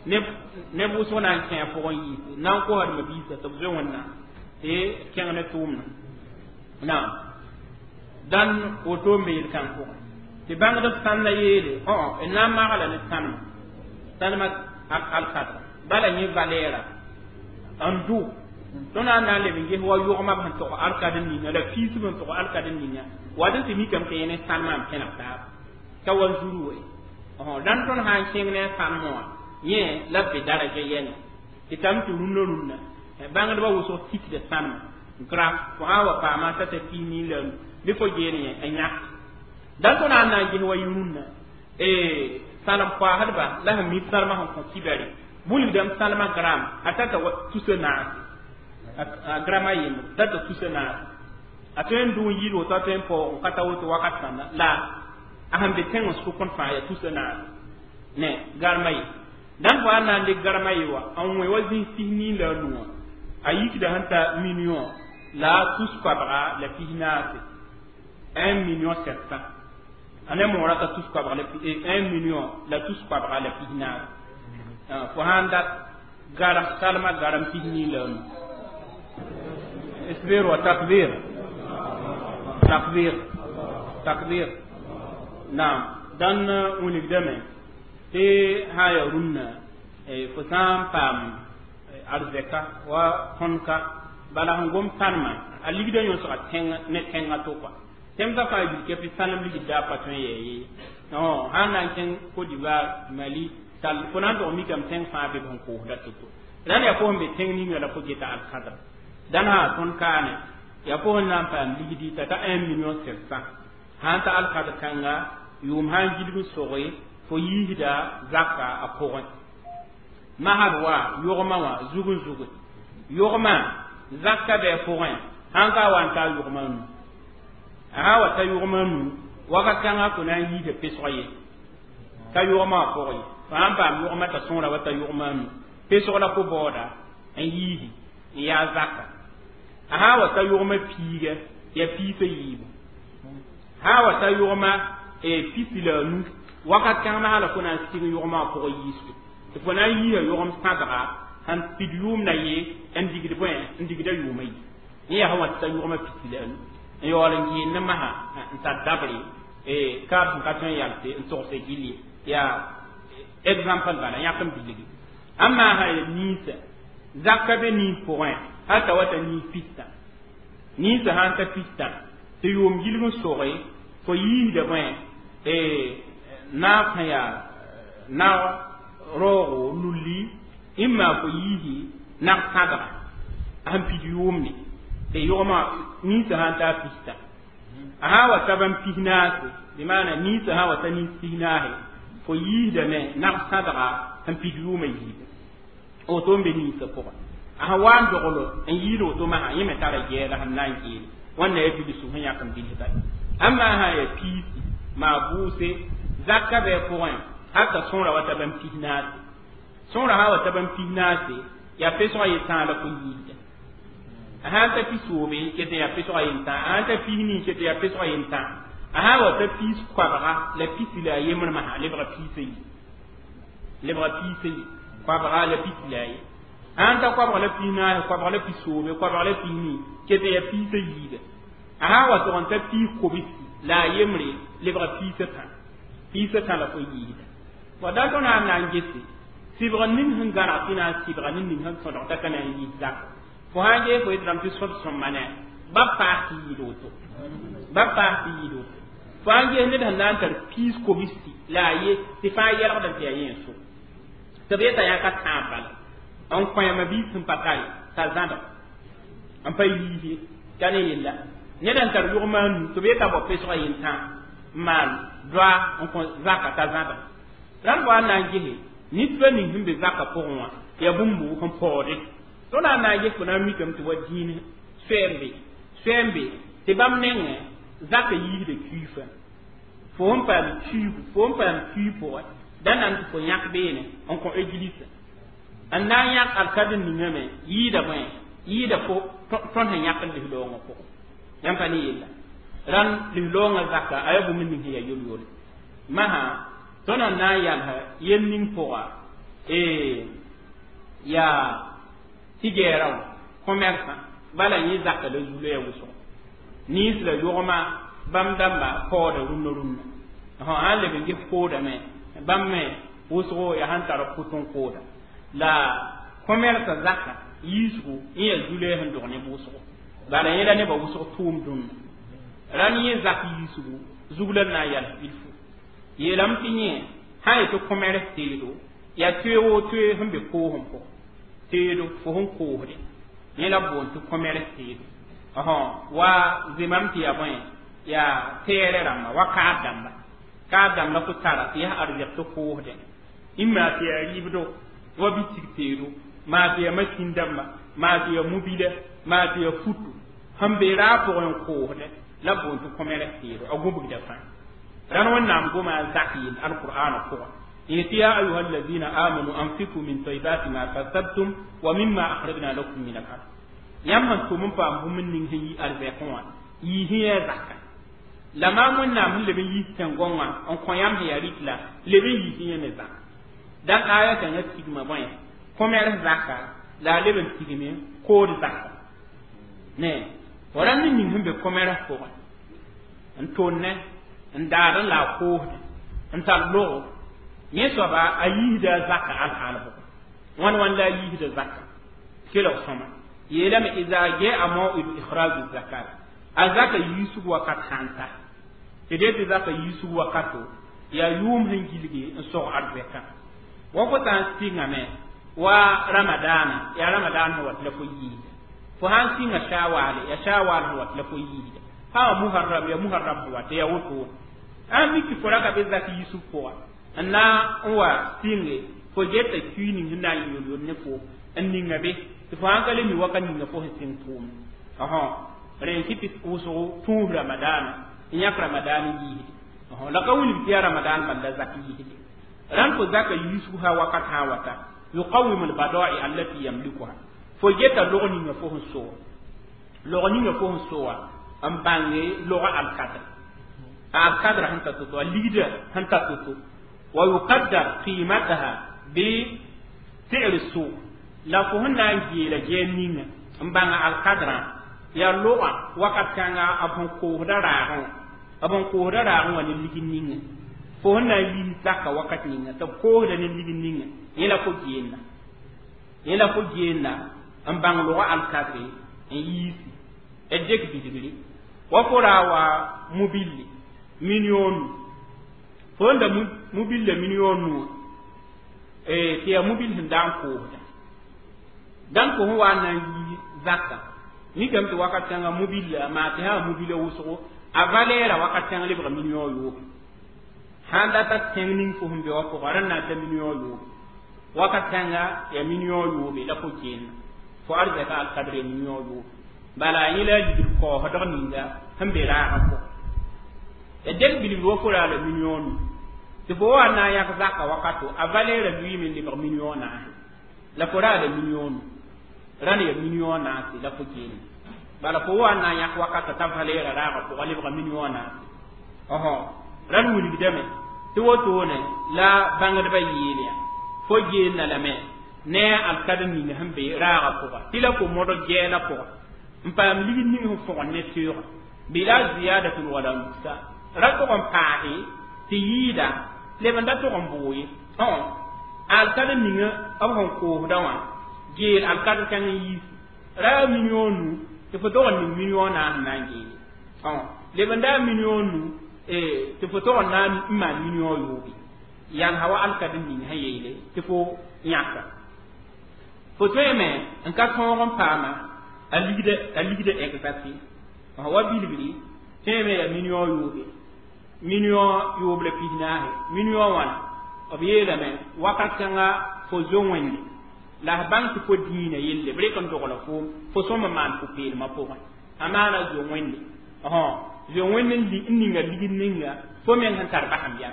neb wʋsg na n kẽ a pʋgẽ yiisi na n kosdmã biisã tɩ b zoe Wẽnnaam tɩ kẽng ne tʋʋmdã naam dãn woto n be yel-kãng pʋgẽ tɩ bãngdb sãnda yeele n na n magla ne sãnema sãnema alkadra bala yẽ valɛɛra n dʋ tõnd na n na n leb n ges wa yʋgmã b sẽn tog alkad n ninga la piisb sẽn tog alkad n ninga wat n tɩ mikame tɩ yẽ ne sãnemã n pẽneg taaba ka wanzuru we. Dãn tõnd sã n kẽng ne a sãnemã wã yẽ la b be daraja yɛne tɩ tame tɩ rũndã rũndã bãngdbã wʋsg tikda sãnemã gram fo sã n wa paama t'a ta pis nii la bɩ fo geel yẽ n yãk. Dãn tõnd na n na n ges wa yɩ rũndã sãnem koaasdba la sẽn mi sãnemã sẽn kõ kibɛre wilgdame sãnemã gram a tata tusa naase a grama yembre tata tusa naase a tõe n dʋ n yɩɩd woto a tõe n paoog n ka ta woto wakat sãnda la a sẽn be tẽng n sʋk n fãa yaa tusa naase ne garma ye. Dãn fo sã n na n dɩk garma ye wa n wẽ wa zĩis pis nii la a nu wã a yikda sẽn ta million la tus koabga la pis naase 1 million 700 a ne moorã ka tus koabga la 1 million la tus koabga la pis naase fo sã n dat garam salma garam pis nii la a nu. Isbir wa takbir takbir takbir naam dãn wilgdame tɩ sã n yaa rũnnã fo sã n paam arzɛka wa tõndka bala sẽn gom sãnemã a ligdã yõsga tẽng ne tẽngã to kɔa tẽmsã fãa yil kɛ tɩ sãnem ligd daa pa tõe n yɛɛ ye sã n na n kẽng Côte d'Ivoire Mali tall fo na n tog mikame tẽng fãa be b sẽn koosda to-to dãn yaa fo sẽn be tẽng ninga la fo geta alkadra dãn sã tõnd kaane yaa fo sẽn na n paam ligdi t'a ta 1 million 700 sã n ta alkadr kãnga yʋʋm sã n gilg n soge fo yiisda zaka a pʋgẽ masd wa yʋgmã wã zug n zuge yʋgmã zaka bɩ a pʋgẽ sãn ka wa n ta yʋgmã nu a sã wa ta yʋgmã nu wakat kãngã fo na n yiisa pesg ye ka yʋgmã wã pʋgẽ ye fo sãn paam yʋgmã t'a sõora wa ta yʋgmã nu pesg la fo baooda n yiisi n yaa zaka a sã wa ta yʋgmã piiga yaa piisã yiibu sã wa ta yʋgmã pisi la a nu wakat kãng masã la fo na n sɩng yʋgmã wã pʋgẽ yiisgo tɩ fo na n yiisa yʋgem sãdga sẽn pid yʋʋmda ye n digd bõe n digda yʋʋma yi n yaa sẽn wa tɩ ta yʋgmã pisi la a nu n yaool n geel ne masã n tar dabre kaab sẽn ka tõe n yals n togse gill ye yaa exemple bala yãk n bilgi amma sã ya ninsã zaka be nins pʋgẽ hal t'a wa ta nins pistã ninsã sã n ta pistã tɩ yʋʋm gilg n soge fo yiisda bõe naag sẽn yaa naag raoogo lulli ĩmma fo yiisi nag sãdga sẽn pid yʋʋmne tɩ yʋgmã ninsã sã n taa pistã a sã n wa ta bãmb pis naase bɩ maana ninsã sã n wa ta nins pis naase fo yiisdame nag sãdga sẽn pid yʋʋmã yiibu woto n be ninsã pʋgẽ a sẽn wa n doglo n yiid woto masã yẽ me tara gɛɛla sẽn na n geele wãnna yaa bilsu sẽn yãk n bilsda amma sã n yaa piisi maa bʋʋse zaka bɩ a pʋgẽ hal t'a sõora wa ta bãmb pis naase sõora sã n wa ta bãmb pis naase Yaa pesgã yetãag la fo yiisda. A sã n ta pisoobe ket n yaa pesgã yentã, a sã n ta pis nii ket n yaa pesgã yentã, a sã n wa ta piis koabga la pisi la a yembr masã lebga piis a yi, lebga piis a yi, koabga la pisi la a ye. A sã n ta koabga la pis naase, koabga la pisoobe, koabga la pis nii ket n yaa piis a yiiba. A sã n wa tʋg n ta piis kobsi la a yembre lebga piis a tã, piis a tã la fo yiisda. Wa da tõnd sã n na n gese sɩbg ning sẽn gãneg tɩ na n sɩbga ne ning sẽn tõdg t'a ka na n yiis zaka. Fo sã n ges fo yetɩ rãmb tɩ sõd sõmba ne ba paas tɩ yɩɩd woto, ba paas tɩ yɩɩd woto. Fo sã n ges ned sẽn na n tar piis kobsi la a ye tɩ fãa yɛlgdame tɩ yaa yẽ n so tɩ b yeta yã ka tãab bala n kõ biis sẽn pa tare t'a zãdg n pa yiis ye ka ne yella. Ned n tar yʋgma a nu tɩ b yeta bao pesgã yentã n maan doa n kõ zaka t'a zãdg. Rãmb wa n na n gese nitba ning sẽn be zaka pʋgẽ wã yaa bũmb sẽn paoode. Tõnd na n na n ges fo na n mikame tɩ wa dĩin soɛɛm be, soɛɛm be tɩ bãmb nengẽ zaka yiisda kuiifã. Fo sẽn paam kuiigu, fo sẽn paam kui pʋgẽ da nan tɩ fo yãk beene n kõ egilisã n na n yãk alkadr ningame yɩɩda bõe yɩɩda fo tõnd sẽn yãk n lis-loongã pʋgẽ. Yãmb pa ne yella rãnd lis-loongã zaka a yaa bũmb ning sẽn yaa yol-yole masã tõnd n na n yals yel ning pʋga yaa tigɛɛrã wã commerçant bala yẽ zaka la zulo ya wʋsgo nins la yʋgma bãmb dãmba paooda rũnnã rũnnã sã n leb n ges koodame bãmb me wʋsgo yaa sẽn tar pʋt n kooda la commerce zaka yiisgo n yaa zulɛ sẽn dog neb wʋsgo bala yẽ la nebã wʋsg tʋʋm dũnna. Rãnd yẽ zak yiisgo zug la n na n yals bilfu yeelame tɩ yẽ sã n yetɩ commerce teedo yaa toeego toe sẽn be koosem pʋgẽ teedo fo sẽn koosde yẽ la boond tɩ commerce teedo wa zemam tɩ yaa bõe yaa tɛɛrɛ rãmba wa kaad dãmba, kaad dãmb la fo tara tɩ yaa arzɛk tɩ koosdẽ maa tɩ yaa rɩɩbdo wa bitig teedo maa tɩ yaa masin dãmba maa tɩ yaa mobila maa tɩ yaa futu sẽn be raag pʋgẽ n koosdẽ la boond tɩ commerce teedo a gũbgda fãa. Rãnd Wẽnnaam goma a zak yell alqur'ana pʋgẽ yetɩ ya ayuha alladina amanu anfiku min taybati ma kasabtum wa mimma akhrajna lakum min al ard. Yãmb sẽn tʋm n paam bũmb ning sẽn yi arzɛkẽ wã yiis yã zaka la maam Wẽnnaam sẽn leb n yiis tẽn-gõngã n kõ yãmb sẽn yaa rɩt la leb n yiis yẽ me zaka. Dãn aya kãngã tigma bõe commerce zaka la a leb n tigme kood zaka ne fo rãnd ning sẽn be commerce pʋgẽ n tʋnne n daad n la a koosde n tar logo yẽ soaba a yiisda zaka alhaal pʋgẽ wãn wãn la a yiisda zaka kelg sõma yeelame ida jaa maw'idu ikhraju zakat a zaka yiisg wakat sã n ta tɩ dee tɩ zaka yiisg wakato yaa yʋʋm sẽn gilge n sog arzɛkã wa fo sã n sɩngame wa ramadaana yaa ramadaan sẽn wat la fo yiisda fo sã n sɩnga shawaale yaa shawaal sẽn wat la fo yiisda sã wa muharram yaa muharram sẽn wat yaa wotone a mik tɩ fo ra ka be zak yiisg pʋga n na n wa sɩnge fo geta kui ning sẽn na n yol yol ne fo n ninga be tɩ fo sãn ka le mi waka ninga fo sẽn sɩng tʋʋmd rẽ kɩ tɩ wʋsgo tũus ramadaana n yãk ramadaan yiisde la ka wilg tɩ yaa ramadaan bal la zak yiisde. Rãnd fo zaka yiisg sã wakat sã n wata yuqawim albada'i allati yamlikuha fo geta log ninga fo sẽn soa log ninga fo sẽn soa n bãnge log alkadr alkadr sẽn ta to-to a ligda sẽn ta to-to wa yuqaddar qimataha bi si'r suq la fo sẽn na n geela gɛɛm ninga n bãnga alkadrã yaa logã wakat kãnga b sẽn koosda raagẽ wã b sẽn koosda raagẽ wã ne lig ninga fo sẽn na n yiis zaka wakat ninga tɩ b koosda ne lig ninga yẽ la fo geenna yẽ la fo geenna n bãng logã alkadre n yiisi d dɩk bilgre wa fo raa wa mobille million nu fo n da mobille million nu tɩ yaa mobil sẽn da n koosda dãn fo sẽn wa n na n yiis zaka mikame tɩ wakat kãngã mobile maa tɩ sã mobile wʋsgo a valɛɛra wakat kãng lebga million yoobe sãn data tẽng ning fo sẽn be wã pʋgã rẽnd na n ta million yoobe wakat kãnga yaa million yoobe la fo geenna fo arzɛka alkadr ya million yoobe bala yẽ la a ligd kaoosdg ninga sẽn be raagã pʋgẽ ya dɛk bilgr wa fo raa la million nu tɩ fo wa n na n yãk zaka wakato a valɛɛra lʋɩɩme n lebg million naase. La fo raada million rãnd ya million naase la fo geelme bala fo wa n na n yãk wakata t'a valɛɛra raagã pʋga lebga million naase ɔsõ rãnd wilgdame tɩ wotone la bãngdbã yeel yã fo geelna lame ne a alkad ning sẽn be raagã pʋga tɩ la fo modg gɛɛla pʋga n paam ligd ning sẽn fõgen ne teoogã bila ziyadatun wala nuksan ra tʋg n paase tɩ yɩɩda leb n da tʋg n boo ye alkad ning b sẽn koosda wã geel alkadr kãng n yiis ra million nu tɩ fo tog n ning million naas n na n geele leb n daa million nu tɩ fo tog n na n maan million yoobe yalsa wa alkad ning sẽn yeele tɩ fo yãka fo tõeme n ka tõog n paama a ligda exact wa bilgri tõeme ya million yoobe million yoob la pisnaase million wãna b yeelame wakat kãnga fo zo wẽnde la f bãng tɩ fo dĩinã yelle b rek n dogla foom fo sõm n maan pʋ-peelmã pʋgẽ a maana zo wẽnde zo wẽnd n ninga ligd ninga fo meng sẽn tar basem yam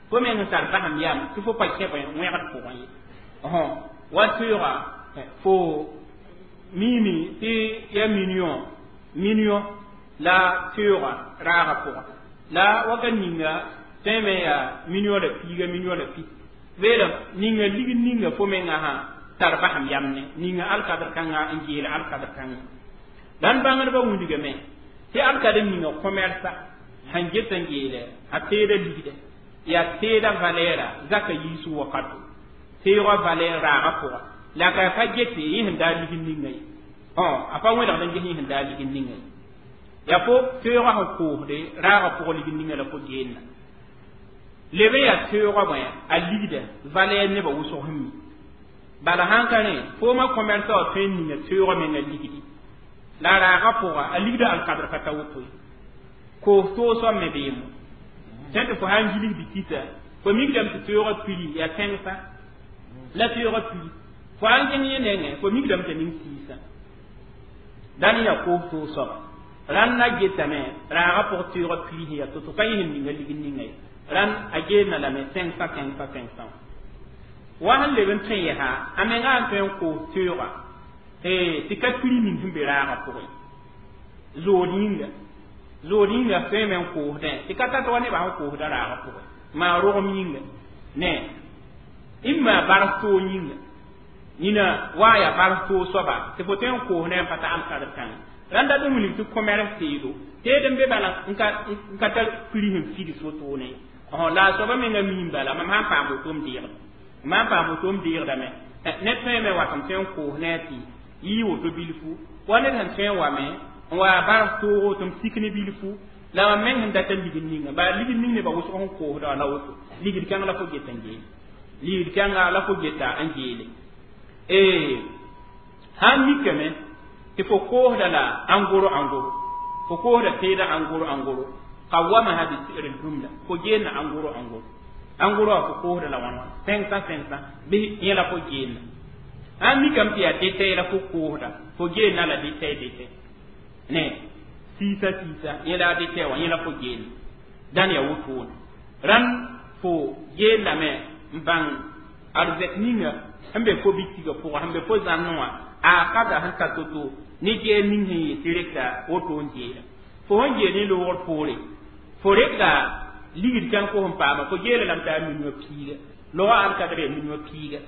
fo meng sẽn tar basem yam tɩ fo pa kẽb wẽgd pʋgẽ ye wa teoogã fo miime tɩ ya million million la teoogã raagã pʋgã la wakat ninga tõeme yaa million la piiga million la pis beelame ninga ligd ninga fo mengã sã tar basem yam ne ninga alkadr kãnga n geel alkadr kãnga dãn bãngdbã wilgame tɩ alkad ninga commerça sẽn get n geele a teeda ligda yaa teeda valɛɛra zaka yiisg wakato teoogã valɛɛr raagã pʋga la ka pa gete yẽ sẽn daa ligd ninga ye a pa wẽlgd n ges yẽ sẽn daa ligd ninga ye yaa fo teoogã sẽn koosde raagã pʋgã ligd ninga la fo geelna leb n yaa teoogã bõe a ligda valɛɛr nebã wʋsg sẽn mi bala sãn ka rẽ foomã commerçã wã tõe n ninga teoogã menga ligdi la raagã pʋga a ligda alkadr ka ta woto ye koos toosã me beemo tẽ tɩ fo sã n gilgd kita fo mikdame tɩ teoogã pili yaa tẽngsã la teoogã pili fo sã n gẽng yẽ nengẽ fo mikdame tɩ ning siisã dãn yaa koos toog soaba rãnd na getame raagã pʋg teoogã pili sẽn yaa to-to ka yẽ sẽn ninga ligd ninga ye rãnd a geelna lame tẽngsã tẽngsã tẽngsã wa sẽn leb n tõe yɛsa a mengã n tõe n koos teoogã tɩ ka piri ning sẽn be raagã pʋgẽ zood yĩnga zood yĩnga tõeme n koosdẽ tɩ ka tat wa nebã sẽn koosda raagã pʋgẽ maa rogem yĩnga ne n maa bars toog yĩnga nina wa yaa bars toog soaba tɩ fo tõe n koos ne n pa ta alkadr kãngã rãnda d wilg tɩ commerce teedo teed n be bala n ka tar piri sẽn figs wotone la a soaba menga miim bala mam sãn paam woto m deegd mam paam woto m deegdame ned tõeme wat m tõe n koos ne tɩ yɩ woto bilfu wa ned sẽn tõe n wame n wa bars toogo tɩ m sik ne bilfu la mam meng sẽn data ligd ninga bala ligd ning nebã wʋsg sẽn koosda la woto ligd kãng la fo get n geele ligd kãnga la fo geta n geele sãn mikame tɩ fo koosda la ãngoro ãngoro fo koosda teeda ãngoro ãngoro qawamaha bi si'r jumla fo geelna ãngoro ãngoro ãngoro wã fo koosda la wãn wãn 500 500 bɩ yẽ la fo geelna sãn mikame tɩ yaa detay la fo koosda fo geelna la detay detay ne siisa siisa yẽ la detay wã yẽ la fo geelna dãn yaa wotone rãnd fo geellame n bãng arzɛk ninga sẽn be fo bitigã pʋga sẽn be fo zãmsẽ wã a kada sẽn ta to-to ne geel ning sẽn yɩ tɩ rekda woto n geela fo sẽn geel ne loogr poore fo rekda ligd kãng fo sẽn paama fo geela lame tɩ yaa million piiga loga alkadr yaa million piiga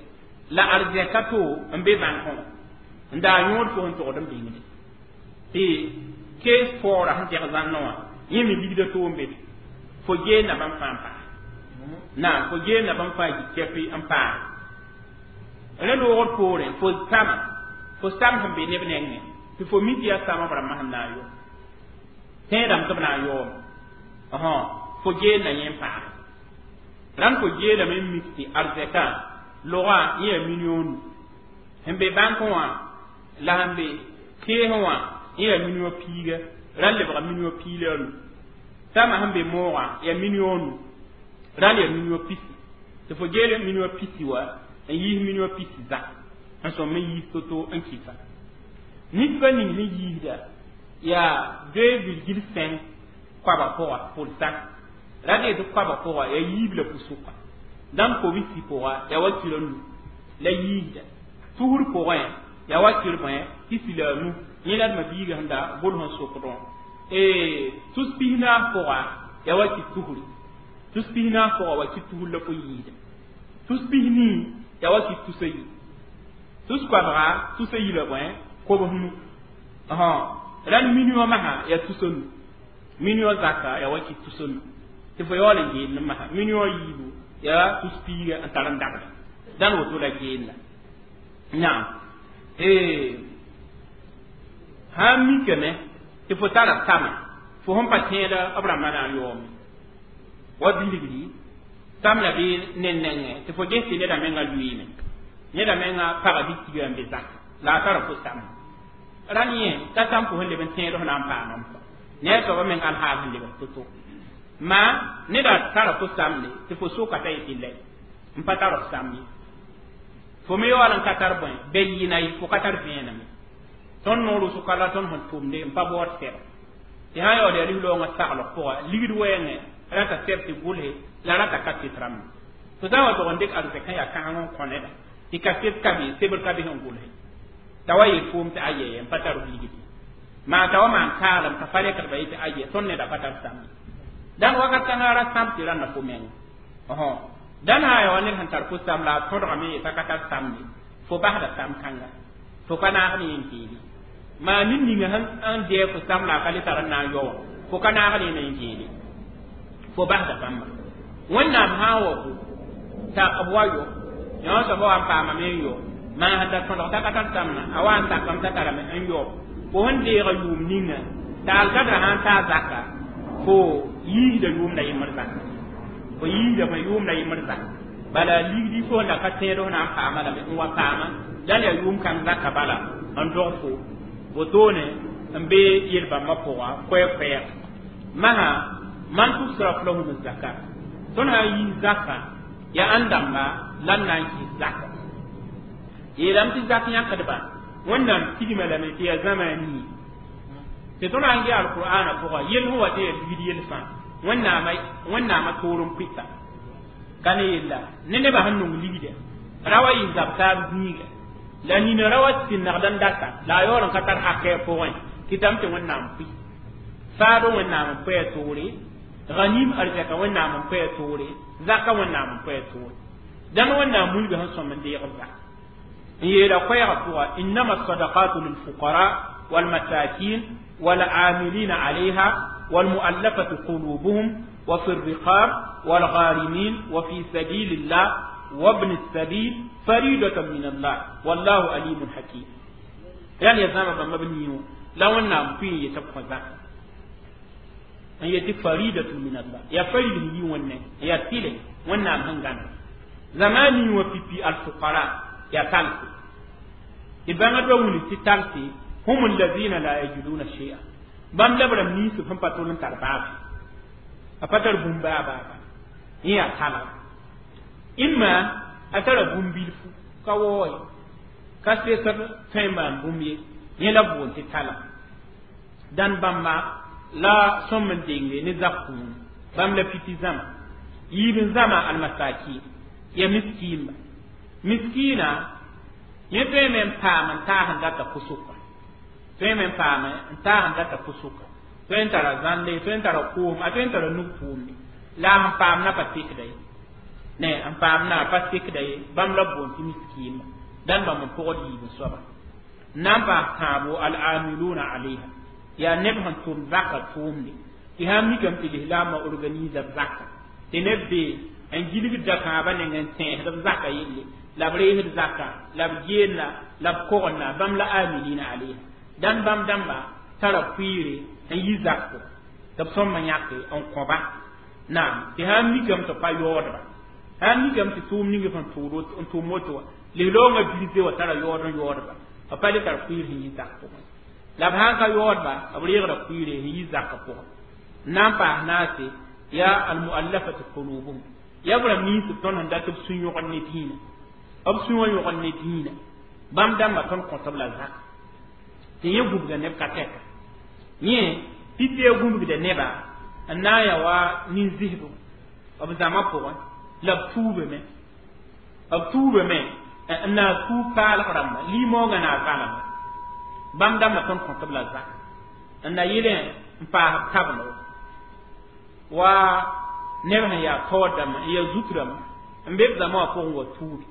la arzɛka to n be bãnkẽ wã n daa yõod fo sẽn togd n bĩngde tɩ kees paoora sẽn tɛg zãmsẽ wã yẽ me ligda to n be be fo geelna bãmb fãa n paase naam fo geelna bãmb fãa yik kɛpɩ n paase rẽ loogr poorẽ fo tama fo sam sẽn be neb nengẽ tɩ fo mi tɩ yaa sama b rãmbã sẽn na n yɔ tẽedame tɩ b na n yaoome fo geelna yẽ n paase rãnd fo geelame n mik tɩ arzɛkã logã yẽ yaa million nu sẽn be bãnkẽ wã la sẽn be keesẽ wã yẽ yaa million piiga rãnd lebga million piig la nu tama sẽn be moogã yaa million nu rãnd yaa million pisi tɩ fo geele million pisi wa n yiis million pisi zã n sõm n yiis to-to n kɩsa nisbã ning sẽn yiisda yaa 2,5 koaba pʋga pour cent ra dee tɩ koaba pʋga yaa yiib la pu-sʋka dãmb kobsi pʋga yaa wa kilo nu la yiisda Tusr pʋgẽ yaa wakir bõe pisi la a nu yẽ la d ma biiga sẽn da gʋls n sokdẽ tus pis-naas pʋga yaa wakit tusri tus pis-naas pʋga wakit tusr la fo yiida tus pis-nii yaa wakit tus a yi tus koabga tus a yi la bõe kobs nu rãnd million masã yaa tus a nu million zaka yaa wakit tus a nu tɩ fo yaool n geend masã million yiibu yaa tus piiga n tar n dagda dãn woto la geenda naam sã n mikame tɩ fo tara tama fo sẽn pa tẽeda b rãmbã na n yaoome wa bilgri sam la bɩ ned nengẽ tɩ fo ges tɩ neda menga lʋɩɩme neda menga paga bɩ tiga n be zaka la a tara fo sam rãnd yẽ ka sam fo sẽn leb n tẽed f na n paam ne a soaba meng alhaal sẽn lebg to-to ma neda tara fo samde tɩ fo soka t'a yetɩ lɛ n pa tar f sam ye fo me yaool n ka tar bõe bɛ yɩɩna ye fo ka tar vẽeneme tõnd noor wʋsg la tõnd sẽn tʋmde n pa baood sɛba tɩ sã n yaool yaa lis-loongã saglg pʋga ligd wɛɛngẽ rata sɛb tɩ gʋlse la rata kaset rãmba fo sã n wa tog n dɩk arzɛkã yaa kãseng n kõ neda tɩ kaset ka be sebr ka be sẽn gʋlse t'a wa yeel foom tɩ ayɛ n pa tar f ligd maa t'a wa maan kaalem t'a pa rekdba yetɩ ayɛ tõnd neda pa tar samd dãn wakat kãngã ra sãb tɩ rãnda fo menga dãn sã yaa wa ned sẽn tar fo sam la a tõdgame yet'a ka tar samde fo basda sam kãnga fo ka naag ne n geele maa ned ninga sẽn dɛɛ fo sam la a ka le tar n na n yao wã fo ka naag ne n geele fo basda bãmba wẽnnaam sã n wa fo t'a b wa yo yõ soaba wa n paamame n yo maa sẽn da tõdg t'a ka tar samna a wa n sakame t'a tarame n yao fo sẽn deega yʋʋm ninga t'a alkadra sã n taa zaka fo yiisda yʋʋmda yembr zaka fo yiisda fo yʋʋmda yembr zaka bala ligdi fo la ka tẽed f na n paama lame n wa paama dãn yaa yʋʋm kãng zaka bala n dog fo wotone n be yel-bãmbã pʋga koɛɛ-koɛɛg masã man tusraf lahum zakat tõnd sã n yiis zaka yaa ãn dãmba la n na n kɩs zaka yeelame tɩ zak yãkdba wẽnnaam tigma lame tɩ yaa zãma a nii tɩ tõnd sã n ge alqur'ana pʋga yell sẽn wa tɩ yaa ligd yell fãa wẽnnaamã toor n pɩta ka ne yella ne nebã sẽn nong ligda ra wa yɩ zab taab zĩiga la nina ra wa sɩnnegd n data la a yaool n ka tar hakɛ pʋgẽ kɩtame tɩ wẽnnaam pʋɩ faado wẽnnaam n pʋa toore ghanim arzɛka wẽnnaam n pʋa toore zaka wẽnnaam n pʋa toore dãn wẽnnaam wilga sẽn sõm n deeg zak n yeela koɛɛgã pʋga innama sadaqatu lilfuqara والمساكين والعاملين عليها والمؤلفة قلوبهم وفي الرقاب والغارمين وفي سبيل الله وابن السبيل فريدة من الله والله عليم حكيم يعني يزام بما بنيو لو أن في يتبقى ذاك أن يتي فريدة من الله يا فريد هي ون يا تيلي ون هنغان زماني وفي في الفقراء يا تالسي إذا ما دولي تالسي هم الذين لا يجدون شيئا بام لبرم نيسو فم باتولن ترباب أفتر بومبا بابا يا تالا إما أترى بومبيلفو كواي كاسيسر تيمان بومي يلا بون تالا دان بامبا لا سومن دينغي نزاكون بام لا بيتي زما يبن زما المساكين يا مسكين مسكينة yẽ tõe me n paam n taas n data pʋsʋka tõe me n paam n taas n data pʋsʋka tõe n tara zãnde tõe n tara koom a tõe n tara nug pʋʋmde la a sẽn paam na pa tekda ye ne n paam na pa tekda ye bãmb la boond tɩ miskiinba dãn bãmb n pʋgd yiib n soaba n na n paas tãabo al-amiluna alayha yaa neb sẽn tʋm zaka tʋʋmde tɩ sã n mikame tɩ lislaamã organisa b zaka tɩ neb be n gilgd dakãabã neng n tẽesd b zaka yelle la b reesd zaka la b geenna la b kogenda bãmb la amilina alayha dãn bãmb dãmba tara pʋɩɩre n yi zakko tɩ b sõmba yãke n kõba naam tɩ sã n mikame tɩ pa yaoodba sã n mikame tɩ tʋʋm ning sẽn n tʋʋm woto wã lislaoongã bilse wa tara yaood n yaoodba b pa le tar pʋɩɩr sẽn yi zak pʋgẽ la b sã n ka yaoodba b reegda pʋɩɩre sẽn yi zakã pʋgẽ n na n paas naase yaa almuallafati qulubuhum yaa b rãmb ninsb tõnd sẽn dat b sũ-yõgd ne dĩinã b sũ wã yõgd ne dĩinã bãmb dãmbã tõnd kõtb la zak tɩ yẽ gũbga neb ka tɛka yẽ pipi a gũbgda neba n na n yaa wa nin-zɩsbo b zãma pʋgẽ la b tuubame N na tuub paalg rãmba limoogã na valame bãmb dãmbã tõnd kõt b la zak n na yɩlẽ n paas b tablo wa neb sẽn yaa taoor dãmba n yaa zut rãmba n be b zãma wã pʋgẽ wa tuubi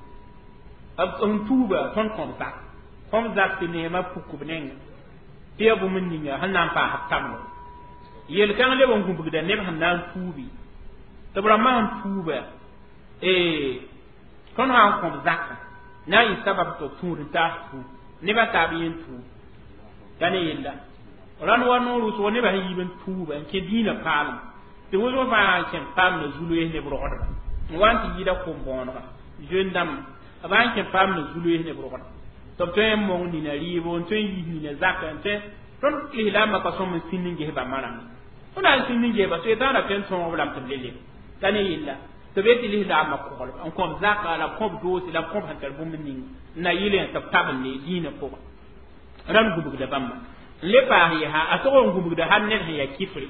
b sẽn tuuba tõnd kõb zak kõb zak tɩ neemã puk b nengẽ tɩ yaa bũmb ninga sẽn na n paas b tablo yel-kãng leb n gũbgda neb sẽn na n tuubi tɩ b rãmbã sẽn tuuba tõnd sã n kõb zakã na n yɩ sabab tɩ b tũud n taas tuub nebã taab yẽn tuub t'a ne yella rãnd wa noor wʋsgo nebã sẽn yiib n tuuba n kẽ dĩinã paalem tɩ wʋsg fãa n kẽ paam na zu-loees neb rogdba n wa n tɩ yɩɩda kom-bõonega zoen dãmba b n kẽ paam na zu-loees neb rogdba tɩ b tõe n mong nina rɩɩbo n tõe n yiis nina zakã n tõe tõnd lislaambã ka sõm n sĩnd n ges bãmba rãmba tõnd na n sĩnd n gesba soetãana tõe n tõog b lame tɩ b le leb t'a ne yella tɩ b tɩ lislaambã koglb n kõb zaka la b kõb doose la b kõb sẽn tar bũmb ning n na yɩlẽ tɩ b tabende dĩinã pʋgẽ rãnd gũbgda bãmba n le paas yɛsa a tog n gũbgda hal ned sẽn yaa kifre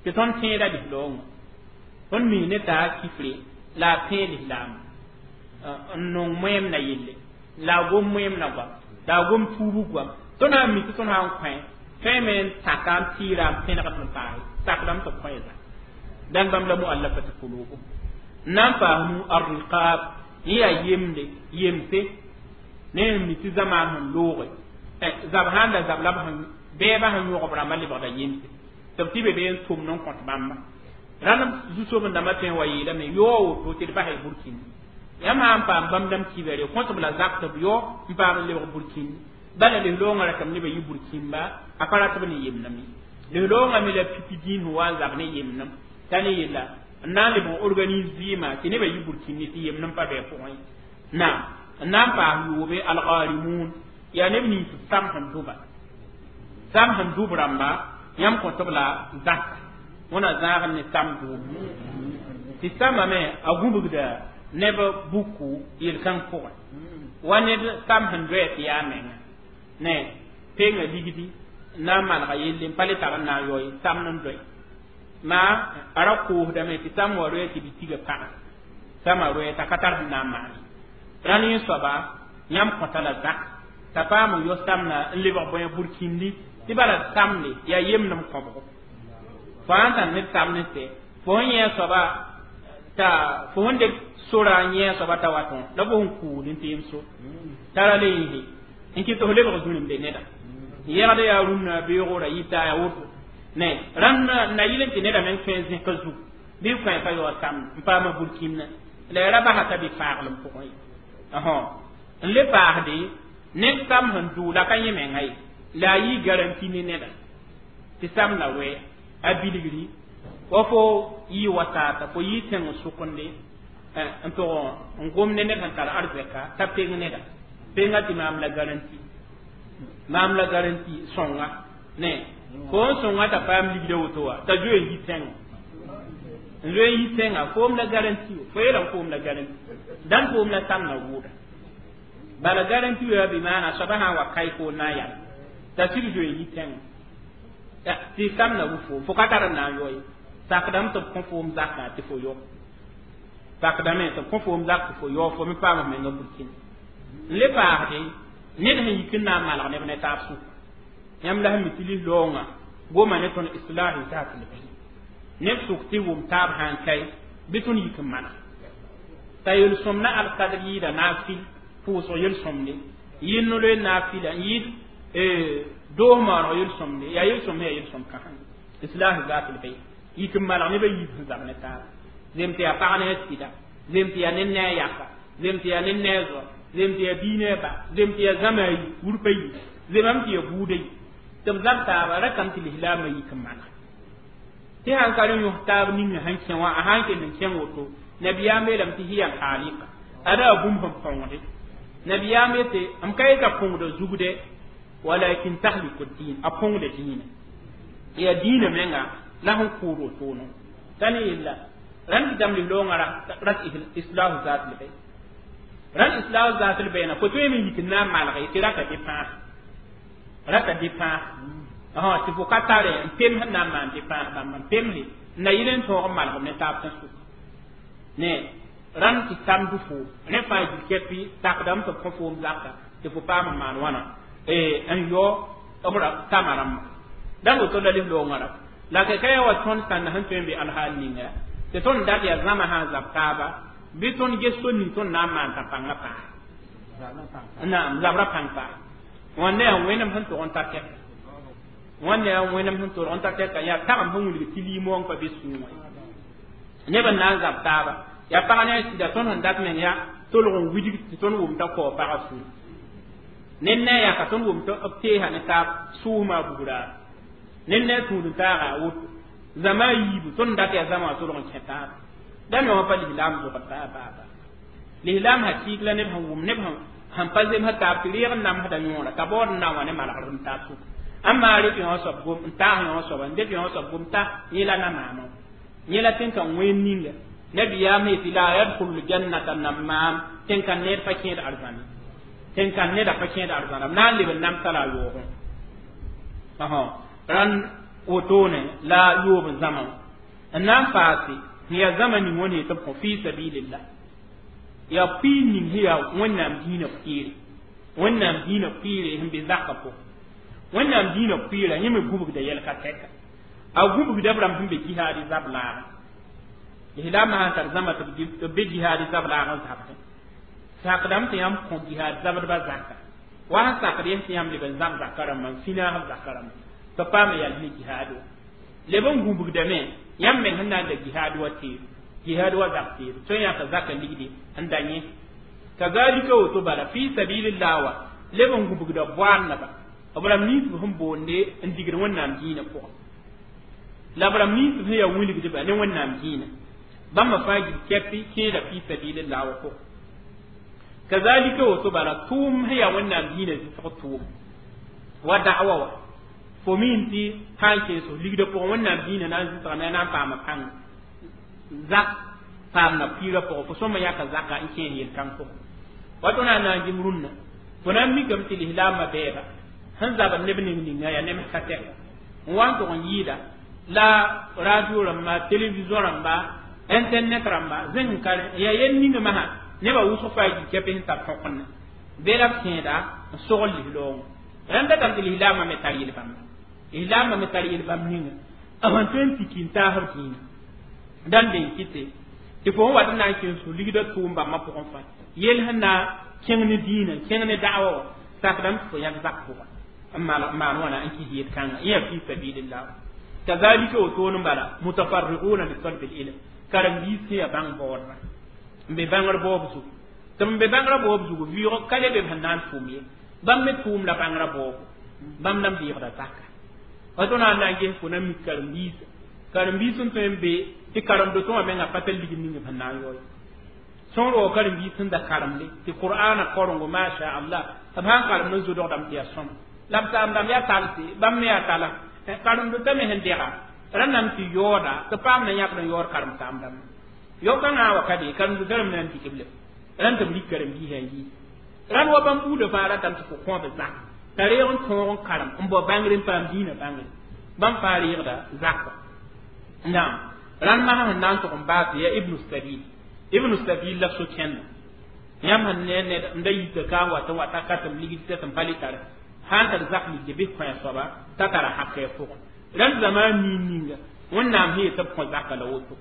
tɩ tõnd tẽeda lislaoongã tõnd mi ne taa kifre la a tẽe lislaamba n nong moeem na yelle la a gom moeem na goam la a gom tuubg goam tõnd sã n mi tɩ tõnd sã n kõ tõeme n taka n tɩɩra n pẽnegd n paase sakdame tɩ b kõ zã dãn bãmb la muallafati kulubu n na n paas nu arriqab yẽ yaa yemde yemse ne n mi tɩ zamaan sẽn looge zab sãn da zab la b sẽn bɛɛbã sẽn yõgb rãmbã lebgda yemse tɩ b tɩ be bee n tʋmd n kõt bãmba rãnd zu-soben-dãmbã tõe n wa yeelame yaoo woto tɩ d basa y burkĩndi yãmb sã n paam bãmb dãmb kibɛre kõt b la zak tɩ b yao n paam n lebg burkĩndi bala lislaoongã ratame nebã yɩ burkĩmba a pa rat b ne yemdem ye lislaoongã me la pipi dĩin sẽn wa n zab ne yemdem t'a ne yella n na n lebg n organise vɩɩmã tɩ nebã yɩ burkĩndi tɩ yemdem pa bɩ a pʋgẽ naam n na n paas yoobe algarimun yaa neb nins sam sẽn dʋba sam sẽn dʋb rãmba yãmb kõt b la zaka wẽna zãag ne sam dʋʋb tɩ samame a gũbgda neb buku yel-kãng pʋgẽ wa ned sam sẽn doɛ tɩ yaa menga ne penga ligdi n na n manega yelle n pa le tar n na n yao ye samd n doe maa a ra koosdame tɩ sam wa roɛ tɩ b tiga pãga sama roɛ t'a ka tar sẽn na n maan rãnd yẽ soaba yãmb kõta la zak t'a paam n yao samna n lebg bõe burkĩndi tɩ bala samde yaa yemdem kõbgo fo sãn tar ned samd n sɛ fo sẽn yẽ soaba t'a fo sẽn dɩk sora n yẽ soaba t'a watõ la fo sẽn kuud n tɩ yem so t'a ra le yĩse n kɩ tɩ f lebg zũrimbe neda yɛgd yaa rũnnã beoogra yita yaa woto ne rãnd na yɩl n tɩ neda meng tõe n zẽka zug bɩ kõ pa yaoog samd n paama burkĩndã la ya ra basa t'a bɩ faaglem pʋgẽ ye n le paasde ned sam sẽn dʋ la ka yẽ menga ye la a yɩ garanti ne neda tɩ sam la roɛ a bilgri wa fo yɩ wa taata fo yɩ tẽng sʋkende n tʋg n gom ne ned sẽn tar arzɛka t'a peng neda penga tɩ maam la garanti maam la garanti sõnga ne fo n sõnga t'a paam ligda woto wa t'a zoe n yi tẽnga n zoe n yi tẽnga foom la garanti fo yeelame foom la garanti dãn foom la samna wʋʋda bala garanti yaa bɩ maana soaba sã n wa kae fo na n yal t'a sɩd zoe n yi tẽnga tɩ samna wʋ foom fo ka tar n na n yao ye sakdame tɩ b kõ foom zakã tɩ fo yao sakdame tɩ b kõ foom zak tɩ fo yao fo me paam f menga burkĩnd n le paasde ned sẽn yik n na n malg neb ne taab sʋka yãmb la sẽn mi tɩ lislaoongã goma ne tõnd islahi zat l neb sʋk tɩ wʋm taab sã n kae bɩ tõnd yik n maneg t'a yel-sõm na alkadr yɩɩda naafil pʋʋsg yel-sõmde yɩ no-loe naafila n yɩɩd doos maooneg yel-sõmde yaa yel-sõm yaa yel-sõm kãseng islah zat l bayn yik n malg nebã yiib sẽn zab ne taaba zem tɩ yaa pag ne a sɩda zem tɩ yaa ned ne a yaka zem tɩ yaa ned ne a zoa zem tɩ yaa bii ne a ba zem tɩ yaa zãma a yi wurpa yi zemame tɩ yaa buudã yi tɩ b zab taaba ra kam tɩ lislaamã yik n maneg tɩ sãn ka rẽ yõs taab ninga sẽn kẽ wã a sãn kell n kẽng woto nabiyaam yeelame tɩ hiya alxaalika ada a bũmb sẽn põngde nabiyaam yetɩ m ka yeta põngda zugde walakin tahliku din a põngda dĩinã yaa dĩinã menga la sẽn kʋʋd wotono t'a ne yella rãnd kɩtame lislaoongã rat islahu zat l bayn rãnd islahu zat l bayna fo tõeme n yik n na n malge tɩ rata dépãas rata dépãas tɩ fo ka tare n pem sẽn na n maan dépãas bãmba n pemse n na yɩl n tõog n malgem ne taab tẽn-sʋka ne Rãmb tɩ samd foom rẽ fãa gil kɛpɩ sakdame tɩ b kõ foom zaka tɩ fo paam n maan wãna n yao b tama rãmba dãmb woto la lislaoongã rã la kɛkɛ ya wa tõnd sãnda sẽn tõe n be alhaal ninga tɩ tõnd dat yaa zãma sã n zab taaba bɩ tõnd ges so ning tõnd na n maan t'a pãngã paase naam zabrã pãng paase wãnda yaa wẽnem sẽn tog n ta tɛka wãnda yaa wẽnem sẽn tog n ta tɛka yaa tagem sẽn wilg tɩ liimoong pa be sũur wã neb n na n zab taaba yaa pag ne a sɩda tõnd sẽn dat meng yaa tolg n widg tɩ tõnd wʋm t'a kao pagã sũur ned ne a yaka tõnd wʋm tɩ b teesa ne taab sʋʋsmã a bugraar ned ne a tũud n taaga a woto zãma a yiibu tõnd dat yaa zãma wã tolg n kẽ taaba dãmb wã pa lislaam zogd baa baa baa lislaam hakɩɩk la neb sẽn wʋm neb sẽn pa zemsd taab tɩ reeg n namsda yõora t'a baood n na n wa ne malgr n taab sʋka n maa rɩk yõ soab gom n taas yõ soaba n dɩk yõ soab gom ta yẽ la na-maamã yẽ la tẽn-kãng wẽen ninga nabiyaam yetɩ la yadkhulu ljannata nammaam tẽn-kãn ned pa kẽed arzãne tẽn-kãn neda pa kẽed arzãna b na n leb n namsa la a yoogẽ rãnd wotone la yoob n zãma n na n paase sẽn yaa zãma ning wã ne tɩ b kõ fi sabilillah yaa pʋɩ ning sẽn yaa wẽnnaam dĩinã pʋɩɩre wẽnnaam dĩinã pʋɩɩre sẽn be zakã pʋgẽ wẽnnaam dĩinã pʋɩɩra yẽ me gũbgda yɛl ka tɛka a gũbgda b rãmb sẽn be jihaadi zab laagẽ lislaamã sãn tar zãma tɩ b be jihaadi zab laag n zabdẽ sakdame tɩ yãmb kõ jihaad zabdbã zaka wa sẽn sakd yẽ tɩ yãmb leb n zãb zaka rãmbã n finaas b zaka rãmbã tɩ paam yal ne jihaad wa leb n gũbgdame yãmb meng sẽn na n da jihaad wa teer jihaad wa zab teer tõe n yãka zaka ligdi n da yẽ kazalika woto bala fi sabilillah wa leb n gũbgda boaadnaba b rãmb nins b sẽn boonde n digd wẽnnaam dĩinã pʋgẽ la b rãmb nins sẽn yaa wilgdba ne wẽnnaam dĩinã bãmba fãa gil kɛpɩ kẽeda fi sabilillah wa pʋgẽ kazalika woto bala tʋʋm sẽn yaa wẽnnaam dĩinã zɩsg tʋʋm wa da'wa wa fo min tɩ sã n kẽes f ligdã pʋgẽ wẽnnaam dĩinã na n zɩsgame a na n paama pãng zak paamna piirã pʋgẽ fo sõma yãka zaka n kẽes yel-kãng pʋgẽ wa tõnd na n na n gim rũnnã fo na n mikame tɩ lislaambã bɛɛba sẽn zabd neb ning ninga yaa nems ka tɛka n wa n tʋg n yɩɩda la radio rãmba télévision rãmba internet rãmba zẽng ka yaa yel ninga masã nebã wʋsg faa gil kɛpɩ sẽn tar tõkend be la b kẽeda n sogl lislaoongã rãmb datame tɩ lislaambã me tar yel-bãmba lislaambã me tar yel-bãmb ninga b sẽn tõe n tiki n taas b dĩinã dãn den kɩte tɩ fo sẽn wat n na n kẽes fo ligdã tʋʋm bãmbã pʋgẽ fãa yel sẽn na kẽng ne dĩinã kẽng ne da'wa wã sakdame tɩ fo yãk zak pʋgã n maan wãna n kɩs yel-kãngã yẽ yaa fi sabilillah kazalika wotoon n bala mutafarriquna li talbi ilm karen-biis sẽn yaa bãng baoodba n be bãngr baoob zugu tɩ b be bãngrã baoob zugu vɩʋʋg ka le be b sẽn na n tʋʋm ye bãmb me tʋʋm la bãngrã baoobo bãmb na n beegda zaka wa tõnd na n na n ges fo na mik karen-biisa karen-biis sẽn tõe n be tɩ karen-dotõ wã menga pa tar ligd ning b sẽn na n yao ye sõor wa karen-biis sẽn da karemde tɩ qur'ana korengo masha allah b sãn karemd n zodgdame tɩ yaa sõma la b saam-dãmb yaa talse bãmb me yaa tala karen-dotã me sẽn dɛga rãnname tɩ yaooda tɩ paam na yãkd n yaood karem-saam-dãmba yao-kãngã wa ka be karen-dotã rãmb na n dɩk b lem rãnd tɩ b rik karen-biisã n yiis rãnd wa bãmb buudã fãa ratame tɩ fo kõ b zak t'a reeg n tõog n karem n bao bãngr n paam dĩinã bãngre bãmb fãa reegda zakã naam rãnd masã sẽn na n tʋg n baas yaa ibnu sabil ibnu sabil la so kẽnda yãmb sẽn ne ned n da yita ka n wat n wata ka tɩ m ligd tɩ m pa le tare sãn tar zak ligde bɩ kõ a soaba t'a tara hakɛ pʋgẽ rãnd zamaan nin ninga wẽnnaam sẽn yetɩ b kõ zaka la woto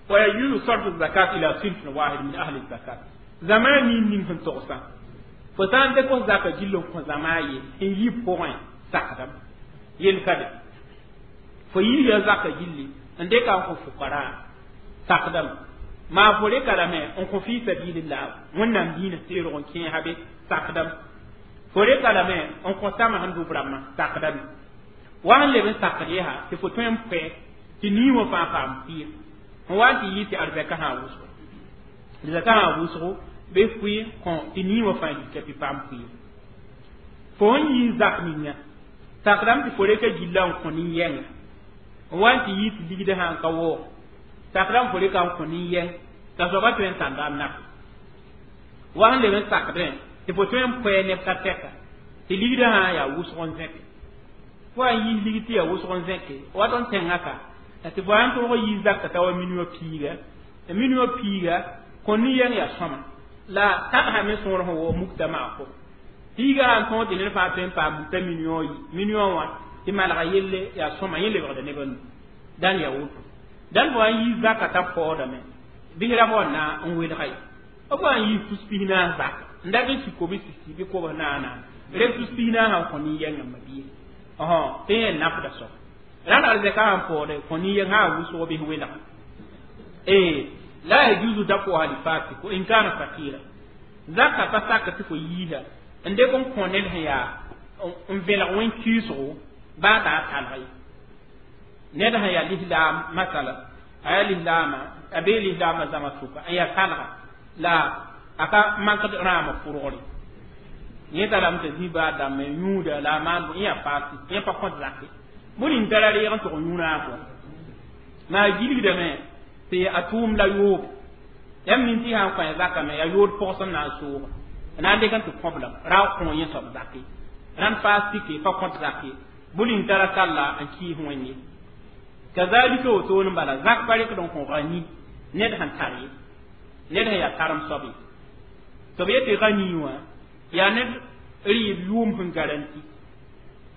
wa yajuzu sarfu zakat ila sinfin wahid min ahli zakat zamaan nin ning sẽn togsã fo sã n dɩk f zaka gill n kõ zãma a ye n yi pʋgẽ sakdame yel ka be fo yiisa zaka gilli n dɩka n kõ fʋkara sakdame maa fo reka lame n kõ fi sabilillah wẽnnaam dĩinã seerg n kẽesa be sakdame fo reka lame n kõ tãma sẽn dʋb rãmbã sakdame wa sẽn leb n sakd yɛsa tɩ fo tõe n pɛ tɩ nii wã fãa paam pɩɩr n wa n tɩ yɩ tɩ arzɛka sã wʋsgo arzɛka sã wʋsgo bɩ fʋɩ kõ tɩ nii wã fãa yika tɩ paam pɩɩr fo n yɩ zak ninga sakdame tɩ fo reka gilla n kõ nin-yɛnga n wa n tɩ yɩ tɩ ligdã sã n ka waoog sakdame fo reka n kõ nin-yɛng t'a soaba tõe n tãnda n nak wa sẽn leb n sakdẽ tɩ fo tõe n pʋɛ neb ka tɛka tɩ ligdã sã yaa wʋsg n zẽke fo a yiis ligd tɩ yaa wʋsg n zẽke wat n tẽngã ka tɩ fo sãn tõog yiis zakka t'a wa minuã piiga minuã piiga Kõ nin-yɛng yaa sõma la tagsa me sõor sẽn wa mukta maa pʋgẽ piiga sãn tõog tɩ ned fãa tõe n paam mukta million million wã tɩ malga yelle yaa sõma yẽ lebgda nebã nu dãn yaa woto dãn fo n yi zaka t'a paoodame bɩs ra fo na n welga ye b wa n yi tus 40 zaka n dat n sik kobs sisi bɩ kobs naana reb tus 40 sã n kõ nin-yɛngã mabie tɩ yẽ nafda soab rãnd arzɛka sãn paoode kõ nin-yɛng sã n wʋsg bɩs welga la yajuzu dafuha lifasik wa in kana fakira zaka pa sak tɩ fo yiisa n dɩk n kõ ned sẽn yaa n vẽlg wẽn-kiisgo baa t'a talg ye ned sẽn yaa lislaam masala a yaa lislaama a bee lislaamã zãma sʋka n yaa talga la a ka makd rãamã pʋrgre yẽ tarame t'a zĩ baa dãmb n yũuda la a maan yẽ yaa faasi yẽ pa kõt zake bõe ning tara reeg n tʋg yũ rãam wã maa gilgdame tɩ a tʋʋm la yoob yãmb nin tɩ sã n kõ zaka me yaa yood pʋgs n na n sooga na n dɩk n tɩ kõblem ra kõ yẽ soab zake rãnd faas tike pa kõt zake bõe ning tara talla n kɩɩs wẽnd ye kazalika woto n bala zak pa rɩkd n kõ gani ned sẽn tar ye ned sẽn yaa karem soab ye tɩ b yetɩ gani wã yaa ned rɩɩb yʋʋm sẽn garanti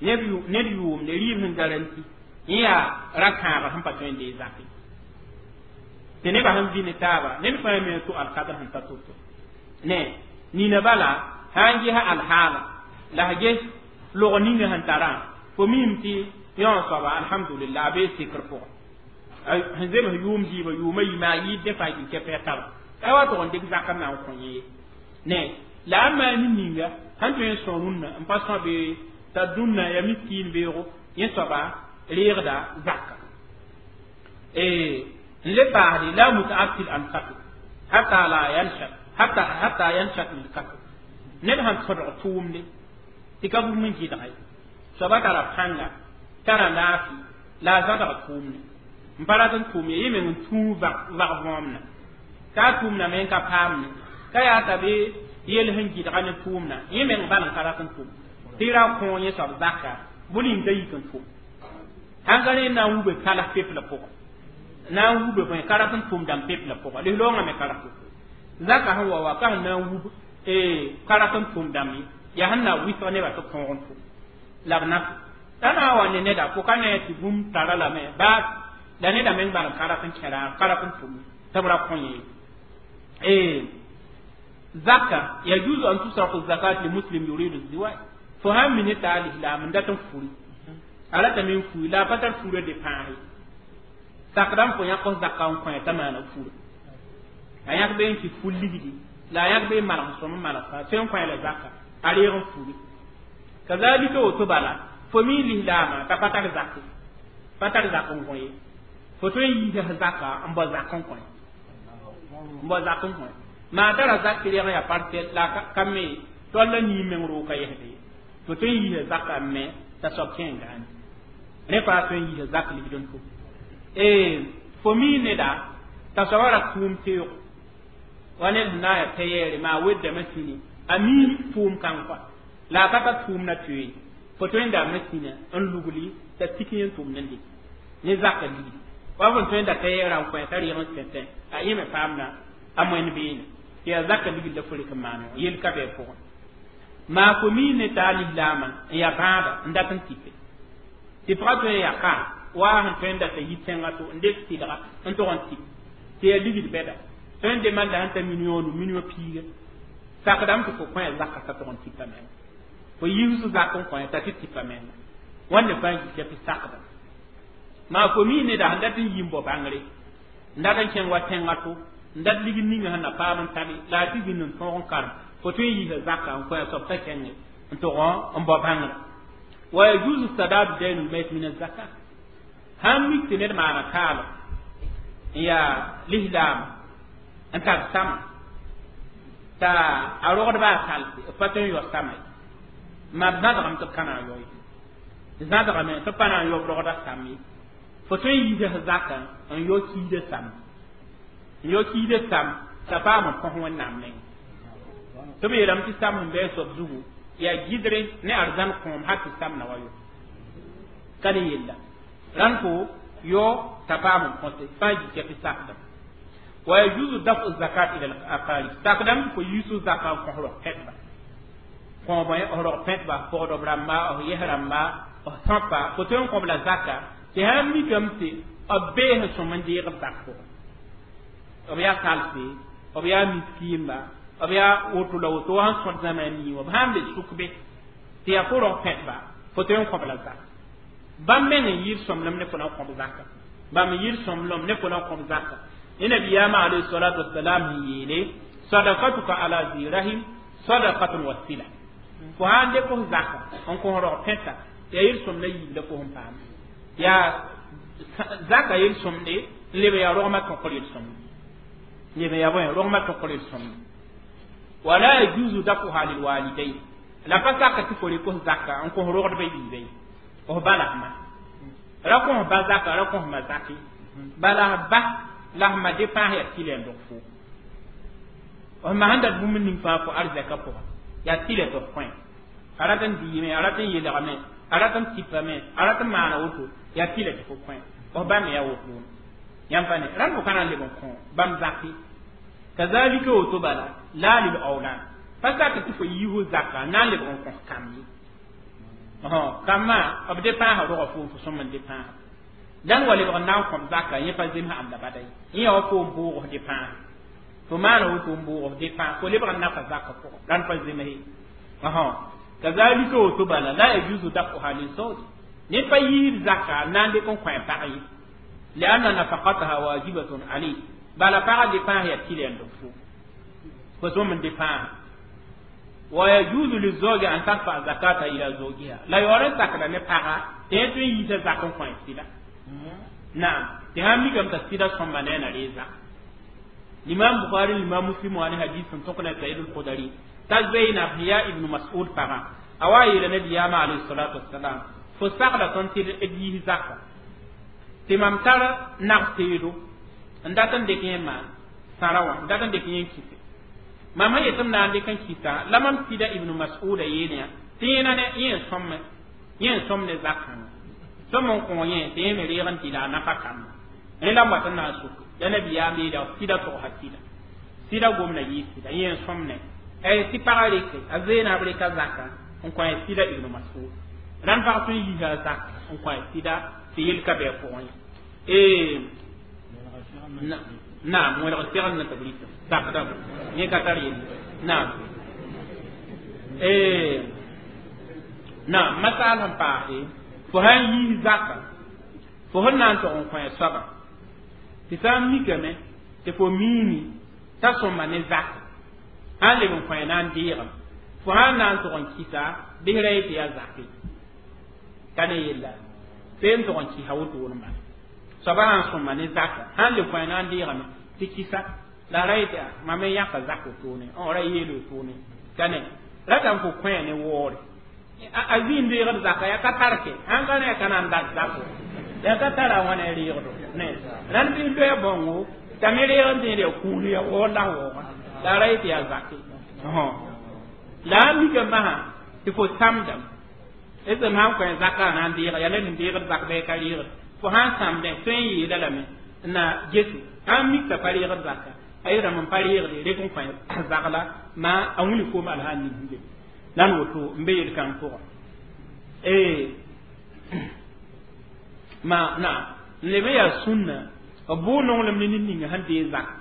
ned yʋʋm ne rɩɩb sẽn garanti yẽ yaa ra-kãabr sẽn pa tõe n dee zake tɩ nebã sẽn vɩ ne taaba ned fãa me tʋ alkadr sẽn ta to-to ne nina bala sã n gesa alhaala la s ges log ninga sẽn tarã fo mim tɩ yõ soaba alhamdulillah a bee sekr pʋgẽ sẽn zems yʋʋm dɩɩbã yʋʋma yima a yɩɩd dẽ fãa gil kɛpɛɛ taba a wa tʋg n dɩk zakr na n kõ yẽ ne la a maan ninga sãn tõe n sõ rũnnã n pa sõ bee t'a dũnna ya miskiin beoogo yẽ soaba reegda zaka n le paasde la mutaatil an kasb hatta la yanshat hatta yanshat min kasb ned sãn tõdg tʋʋmde tɩ ka bũmb n gɩdga ye soaba tara pãnga tara laafɩ la a zãdg tʋʋmde n pa rat n tʋʋm ye yẽ meng n tũu vag võomna ka a tʋʋmna me n ka paamne ka yaa t'a be yel sẽn gɩdga ne tʋʋmna yẽ meng bal n ka rat n tʋm tɩ ra kõ yẽ soab zaka bõe ning t'a yik n tʋm sãn ka rẽ na n wube kalas pepla pʋgẽ na n wube bõe ka rat n tʋm dãmb pepla pʋgã lislaoongã me ka rat zaka sẽn wa wa ka sẽn na n wub ka rat n tʋm dãmb ye yaa sẽn na wɩsg nebã tɩ tõog n tʋm la b naf la na n wa ne neda fo ka ne tɩ bũmb tara lame baa la neda meng bal n ka rat n kẽra ka rat n tʋm tɩ b ra kõ yẽ zaka yajuzu an tusrafu zakat li muslim yuridu ziwaj fo sãn mi ne t'a lislaam n dat n furi a ratame n fui la a pa tar fura de pãase sakdã fo yãk zaka n kõ t'a maana fura a yãk be n kɩ ful ligdi la a yãk be n malg sõm n malg tõe n kõ la zaka a reeg n furi kazalika woto bala fo mi lislaamã t'a pa tar zake pa tar zak n kõ ye fo tõe n yiisa zaka n bao zak n kõ n bao zak n kõ maa tara zak reeg n yaa parcelle la ka me tol la nii meng roog ka yɛsd ye fo tõe n yiisa zaka n me t'a soab kẽ n gaane rẽ faa tõe n yiisa zak ligd n tʋm fo mi neda t'a soaba ra tʋʋm teoog wa ned sẽn na n yaa tɛ-yɛɛre maa weddame sĩni a mi tʋʋm kãng kɔa la a ka ta tʋʋm na toee fo tõe n dame sĩna n lugli t'a tik yẽ tʋʋmd n dɩk ne zaka ligdi wa fõn tõe n da tɛ-yɛɛrã n kõ t'a rɩg n sẽtẽ a yẽ me paamda a moẽn beene tɩ yaa zaka ligd la fo rɩk n maan yel ka bɩ a pʋgẽ maa fo mi ne t'a lislaamã n yaa bãada n dat n tipe tɩ pʋga tõe n yaa ka wa sẽn tõe n data yi tẽngã to n dek tɩlga n tʋg n tɩp tɩ yaa ligd bɛda tõe n demanda sẽn ta million nu million piiga sakdame tɩ fo kõ ya zaka t'a tʋg n tipa menga fo yiis zak n kõ t'a tɩ tipa menga wãnde fãa gika tɩ sakda maa fo mi neda sẽn dat n yi n bao bãngre n dat n kẽng wa tẽngã to n dat ligd ninga sẽn na paam n tabe la a tɩ zĩnd n tõog n karem fo tõe n yiisa zaka n kõ ya soab t'a kẽnge n tʋg n bao bãngrã wa yajuzu sadadu dayn lmayt min azakat sãn mik tɩ ned maana kaala n yaa lislaam n tar sama t'a a rogdba a talse b pa tõe n yao sama ye ma b zãdgame tɩ b ka na n yao ye zãdgame tɩ b pa na n yao b rogda sam ye fo tõe n yiisa zaka n yao kiida sam n yao kiida sam t'a paam n põs wẽnnaam neng tɩ b yeelame tɩ sam sẽn bɩ a soab zugu yaa gɩdre ne arzãn kõom hal tɩ sam na wa yo ka ne yella rãnd fo yo t'a paam n põse fãa gika tɩ sakda ويجوز دفع الزكاة إلى الأقارب تقدم فيوسو زكاة كهرو حتبا كون رog pẽtba pʋgdb rãmba b yes rãmba b tãpa fo tõe n kõb la zaka tɩ sãn mikame tɩ b bees n sõm n deeg b zak pʋgẽ b yaa kalse b yaa miskiimba b yaa woto la woto wa sẽn sõd zãma a nii wã b sãn be sʋk be tɩ yaa fo rog pẽtba fo tõe n kõb la zaka bãmb meng n yɩɩd sõmblem ne fo na n kõb zaka bãmb n yɩɩd sõmblem ne fo na n kõb zaka ne nabiyaamã alayhi salatu wasalam n yeele sadakatuka ala zi rahim sadakatun wasila fo sãn dɩk f zaka n kõ rog pẽta yaa yel-sõmd la yiib la fo sẽn paam yaa zaka yel-sõmde n leb yaa rogmã tõkr yel-sõmde leb yaa bõe rogmã tõkr yel-sõmde wala yajuzu dafuha lilwalidain la pa saka tɩ fo rɩk f zaka n kõ rogdbã yiibã ye f ba la f ma ra kõ f ba zaka ra kõ f ma zake bala f ba la f ma depãs yaa tɩlɛ n dog fo f ma sẽn dat bũmb ning fãa fo arzɛka pʋga yaa tɩlɛ tɩ f kõ a rat n diime a rat n yelgame a rat n tipame a rat n maana woto yaa tɩlɛ tɩ fo kõ f ba me yaa wotone yãmb pa ne rãmb fo ka na n leb n kõ bãmb zake kazalika woto bala la lil awlad pa sak tɩ fo yi fo zaka n na n lebg n kõ kam ye kambã b depãasa roga foom fo sõm n depãasa dãn wa lebg n na n kõb zaka yẽ pa zemsa anda bada ye yẽ yaa wa fo n boog f depãasa fo maana woto n boog f depãas fo lebg n nafa zaka pʋgẽ rãnd pa zemse kazalika woto bala la yajuzu dafuha lizawj ned pa yiib zaka n na n dɩk n kõ a pag ye lianna nafaqataha wajibatun alayh bala pagã depãas yaa tɩlɛ n dog fo fo sõm n depãasa ويجوز للزوج أن تدفع زكاة إلى زوجها لا يورن سكنا نبغا تيتو ييسا زكاة كوين سيدا نعم تهامي كم تسيدا سمبانين ريزا الإمام بخاري الإمام مسلم وأنا حديث تقنا سعيد الخدري تزين هي ابن مسعود بغا أوائل النبي عليه الصلاة والسلام فسقلا تنتر إديه زكاة تمام ترى نغتيرو n dat n dɩk yẽ maan sãra wã n dat n dɩk yẽ n kɩse mam sẽn yetɩ m na n dɩk n kɩsa la mam sɩda ibnu mas'uda yeelã tɩ yẽna ne yẽ n sõmme yẽ n sõm ne zakãngã sõm n kõ yẽ tɩ yẽ me reeg n tɩ la a nafa kamba rẽ la m wat n na n sok la nabiyaam yeela sɩda togsa sɩda sɩda gomda yɩɩ sɩda yẽ n sõm ne tɩ pagã reke a zeenab reka zaka n kõ a sɩda ibnu mas'ud rãnd pag tõe n yiisa a zaka n kõ a sɩda tɩ yel ka bɩ a pʋgẽ ye naam wẽlg segl na tɩ b rɩta sakdame yẽ ka tar yelle naam naam masaal sẽn paase fo sã n yiis zaka fo sẽn na n tog n kõ a soaba tɩ sã n mikame tɩ fo miime t'a sõma ne zaka sã n leb n kõ a na n deegame fo sã n na n tog n kɩsa bɩs ra yetɩ yaa zake ka ne yella fee n tog n kɩsa wotone bala soaba sã n sõma ne zaka sã n leb kõ a na n deegame tɩ kɩsa la ra yetɩ mam n yãka zak wotone ra yeel wotone ka ne ratame fo kõ ne waoore a zĩig reegd zaka yaa ka tar ke sãn ka ne ya ka na n dat zako yaa ka tara a wãna reegdo ne rãnd bɩ loɛɛ bãngo t'a me reeg n tẽed yaa kũun yaa waoor la waooga la ra yetɩ yaa zake la a mika masã tɩ fo sãmdame sẽm sãn kõ zaka a na n deega yaa ned n deegd zak bɩ ka reegd fo sãn sãmdẽ tõe n yeela lame n na gese sãn mik t'a pa reegd zaka a yeelame n pa reegde rek n kõ zagla ma a wilg koom alsã n ning la n woto n be yel-kãng pʋgã ma na n leb n yaa sũnna b bʋʋ nonglem ne ned ninga sẽn deeg zaka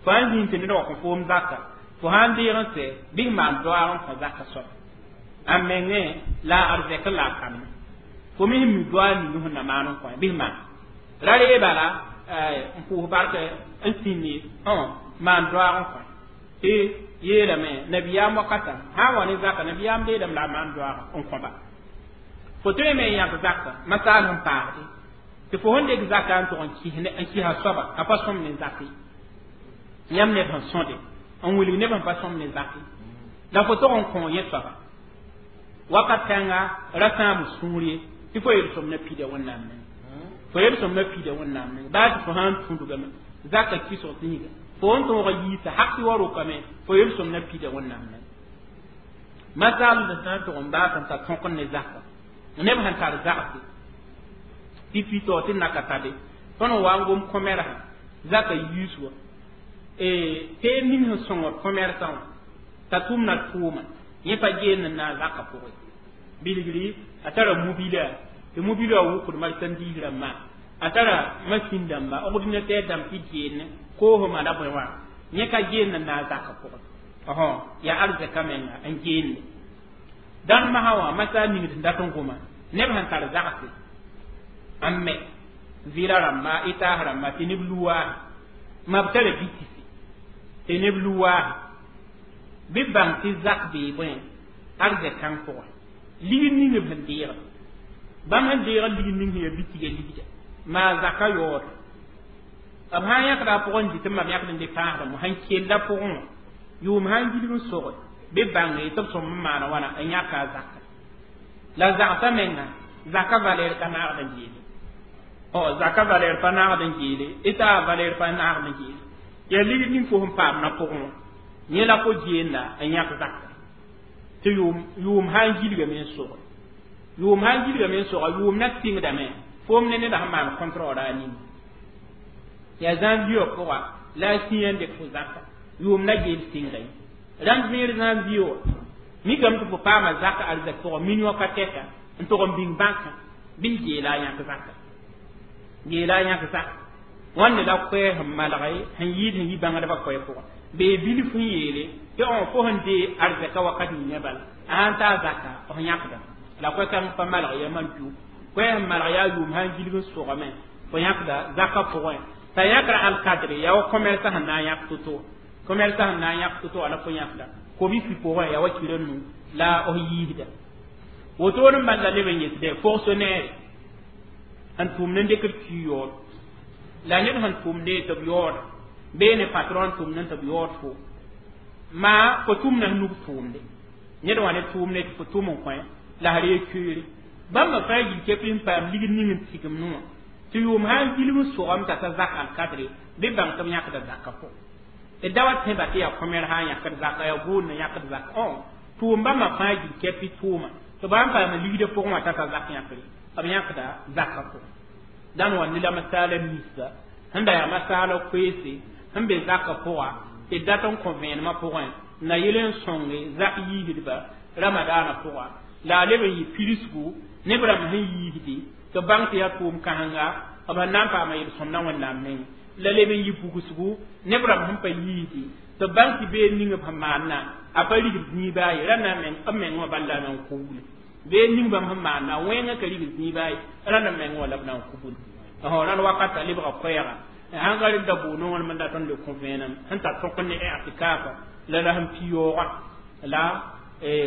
fo sãn zĩnd tɩ ned wa kõ foom zaka fo sãn deeg n sɛ bɩ maan doaag n kõ zaka soaba a mengẽ la a arzɛk la a kambã fo me sẽn mi doaag ning sẽn na maan n kõ bɩ maan ra ree bala n pʋʋs bark n sĩndi maan doaag n kõ tɩ yeelame nabiyaam wakata sã n wa ne zaka nabiyaam deedame la a maan doaag n kõba fo tõe me n yãk zaka masaal sẽn paasde tɩ fo sẽn dɩk zaka n tʋg n kɩsa soaba a pa sõm ne zake yãmb neb sẽn sõde n wilg neb sẽn pa sõm ne zake la fo tog n kõ yẽ soaba wakat kãnga ra sãam sũur ye tɩ fo yel-sõm na pida wẽnnaam neng fo yel-sõm na pida wẽnnaam neng baa tɩ fo sã n tũudgame zaka kɩsg zĩiga fo n tõog yiisa hak tɩ wa rokame fo yel-sõm na pida wẽnnaam neng masaal sã n tʋg n baas n ta tõk ne zaka neb sẽn tar zagse tɩ pito tɩ naka tabe tõnd n wa n gom kõmɛrsã zaka yiis wa Teed ning sẽn sõngd commerçant wã t'a tʋmda tʋʋma yẽ pa geend n na n zakã pʋgẽ bilgri a tara mobila tɩ mobila wã wʋkd marchandise rãmbã a tara masin dãmba ordinateur dãmb tɩ geend koosmã la bõe wã yẽ ka geend n na n zakã pʋgẽ yaa arzɛka menga n geende dãn masã wã masa ningd sẽn dat n goma neb sẽn tar zagse n me vɩla rãmba itaas rãmba tɩ neb luwaase ma b tara bitisi tɩ neb luwaase bɩ bãng tɩ zak bee bõe arzɛk-kãng pʋgẽ ligd ning b sẽn deegd bãmb sẽn deegd ligd ning sẽn yaa bitiga ligda maa zaka yaood b sã n yãkda a pʋgẽ n dɩt n mam yãkd n dɩ pãasdame sẽn kella pʋgẽ wã yʋʋm sã n gilg n soge bɩ bãnge tɩ b sõm n maana wãna n yãka a zaka la zagsã menga zaka valeur ka naagd n geele zaka valeur pa naagd n geele ɩta valeur pa naagd n geele yaa ligd ning fo sẽn paam na pʋgẽ wã yẽ la fo geenda n yãk zaka tɩ yʋʋm sã n gilgame n soge yʋʋm sã n gilgame n soga yʋʋm na tɩngdame foom ne neda sẽn maan contrôle a ning yaa janvier wã pʋga la a sĩa n dɩk fo zaka yʋʋm na geel sɩngda ye rãmb vẽer janvier wã mikame tɩ fo paama zaka arzɛk pʋgã million ka tɛka n tʋg n bĩng bãnkã bɩ geela a yãk zaka geela a yãk zaka wãnde la koɛɛ sẽn malge sẽn yɩɩd sẽn yi bãngdbã koɛɛ pʋgã bee bilf sẽn yeele tɩ fo sẽn dee arzɛka wakat ninga bala a sãn taa zaka f yãkda la koɛ-kãng pa malg ya man piu koɛɛ sẽn malg yaa yʋʋm sã n gilg n sogame fo yãkda zaka pʋgẽ t'a yãkra alkadre yaa wa commerçant sẽn na n yãk to-to commerçant sẽn na n yãk to-to la fo yãkda kobisi pʋgẽ yaa wa kira nu la f yiisda wotone n bal la leb n yetɩ fonctionnaire sẽn tʋmd n dɩkd ki yaood la ned sẽn tʋmde tɩ b yaooda bee ne patron tʋmd n tɩ b yaood fo maa fo tʋmda sẽn nug tʋʋmde ned wã ne tʋʋmde tɩ fo tʋm n kõ la s ree koeere bãmba fãa gil kɛp n paam ligd ning n tigem nua tɩ yʋʋm sã n gilg n sogame t'a ta zak alkadre bɩ bãng tɩ b yãkda zakã pʋgẽ d da wa tẽba tɩ yaa kõmɛr sã n yãkd zaka yaa gʋʋd n yãkd zaka tʋʋm bãmba fãa gil kɛp tʋʋma tɩ bãmb paama ligdã pʋgẽ wã t'a ta zak yãkre b yãkda zakã pʋgẽ dãn wa ne la masaala misba sẽn da yaa masaala koeese sẽn be zakã pʋga tɩ dat n kõ vẽenemã pʋgẽ na yel n sõnge zak yiisdba ramadaanã pʋga la a leb n yɩ pidsgu neb rãmb sẽn yiisde tɩ bãng tɩ yaa tʋʋm kãsenga b sẽn na n paama yel-sõmda wẽnnaam meng la leb n yɩ bugsgu neb rãmb sẽn pa yiisde tɩ bãng tɩ bee ning b sẽn maanna a pa rigd zĩiba ye rãnda b meng wã bal la na n kubule bee ning bãmb sẽn maanna wẽngã ka rigd zĩiba ye rãnda meng wã la b na n kubule rãnd wakata lebga koɛɛga sãn ka rɩk da bʋʋ nongr dat n le kõ vẽenem sẽn tar tõk ne i'tikafa la la sẽn pi yaoogã la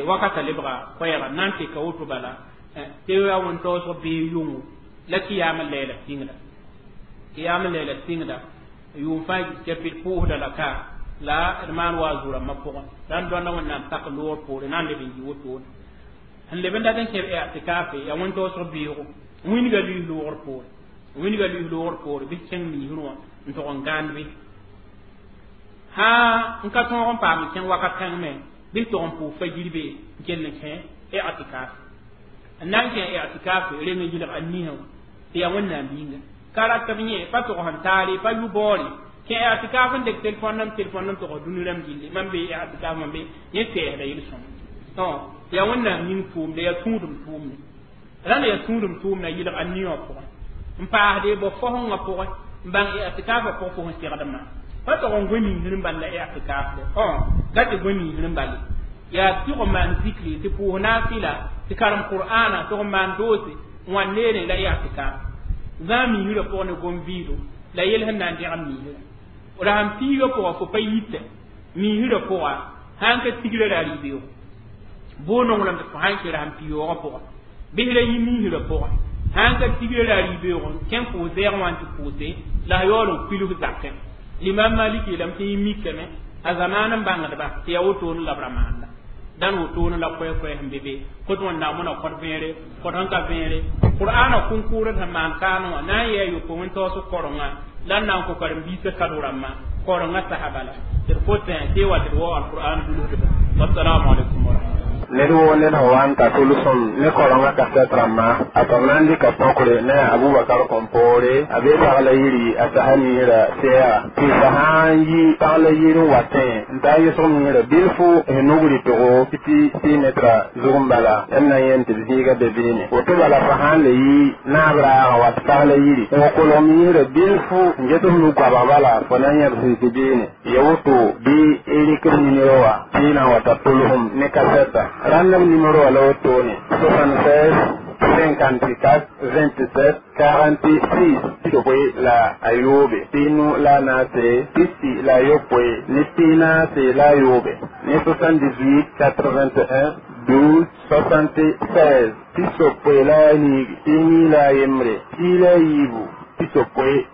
wakata lebga koɛɛga na n teka woto bala tɩ yaa wẽn-taoosg bee yʋngo la kɩyaam n lɛɛla sɩngda kɩyaam n lɛɛla sɩngda yʋʋm fãa kɛpɩd pʋʋsda la ka la d maan wa a zu-rãmbã pʋgẽ rãnd dõanda wẽnnaam tak loor poore na n leb n yɩ wotone sẽn leb n dat n kẽb i'tikafe yaa wẽn-taoosg beoogo wĩnga luis loogr poore wĩnga luis loogr poore bɩ kẽng miisr wã n tʋg n gãand bɩ sã n ka tõog n paam n kẽng wakat kãng me bɩ tʋg n pʋʋs fajir be n kell n kẽ i'tikaf n na n kẽ i'tikaf reng n yɩlg a nisã wã tɩ yaa wẽnnaam yĩnga ka rat b yẽ pa tʋgs n taare pa yʋ baoore kẽ i'tikaf n dɩk telefõn n telefõn n tʋgs dũni rãmb gilli mam be i'tikaf mam be yẽ tɛɛsda yel-sõma yaa wẽnnaam yĩng tʋʋmde yaa tũudem tʋʋmde rãnd yaa tũudem tʋʋmda yɩlg a ni wã pʋgẽ n paasde bo fosẽngã pʋgẽ n bãng i'tikafã pʋgẽ fo sẽn segd n maan pa tʋg n gõ miisr n bal la i'tikaf de ka tɩ gõ miisr n bale yaa tɩg n maan zikri tɩ pʋʋs naafɩla tɩ karem qur'ana tɩg n maan doose n wa neere la i'tikaf zã miisrã pʋgẽ ne gom-vɩɩdo la yel sẽn na n dẽgem miisrã ra sẽn piigã pʋgã fo pa yita miisrã pʋga sãn ka tigrã ra rɩ-beoogo bʋʋ-nonglem tɩ fo sãn kẽ ra sẽn pi-yoogã pʋgã bɩs ra yĩ miisrã pʋgã sãn ka tigrã ra rɩ-beoog kẽn pʋʋs zɛɛg wã n tɩ pʋʋse la a yaool n kuils zakẽ l'imam Malik yeelame tɩ yẽ mikame a zamaan n bãngdba tɩ yaa wotone la b ra maanda dãn wotone la koɛ-koɛ sẽn be be kot wẽnnaam wẽna kõt vẽere kõt sẽn ka vẽere qur'aana kũnkʋʋr sẽn maan kaane wã na n yɩ a yopoe wẽn-taoosg korengã la n na n kõ karen-biisã kado-rãmbã korengã sasa bala tɩ d kotẽ tɩ wa tɩ d wao alqur'an dulsdba wassalamu alaikum wa rahmatullah. Ned woo ned sẽn wa n ta tʋlsem ne korengã kasɛt rãmbã, a soab na n dɩka tõkre ne a Abubakar Kõmpoore, a be pagla yiri a sasa niirã sɛɛga tɩ fa sã n yi pagla yir n watẽ n ta n yʋsg niirã bilfu sẽn nug rɩtgo tɩ tɩ metra zug n bala yãmb na yẽn tɩ b zĩiga be beene. Woto bala fa sã n le yi naab raagã wat pagla yiri n wa kolg niirã bilfu n get f nug goabg bala, fo na yẽb sẽn tɩ beene ya woto bɩ y rɩk b nimero wã tɩ y na n wa ta tʋlsem ne kasɛta. Rãnd b nimero wã la wotone: 76 54 27 46, 69, 44, 41 44, ne 78 81 12 76, 64,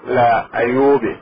4, 14.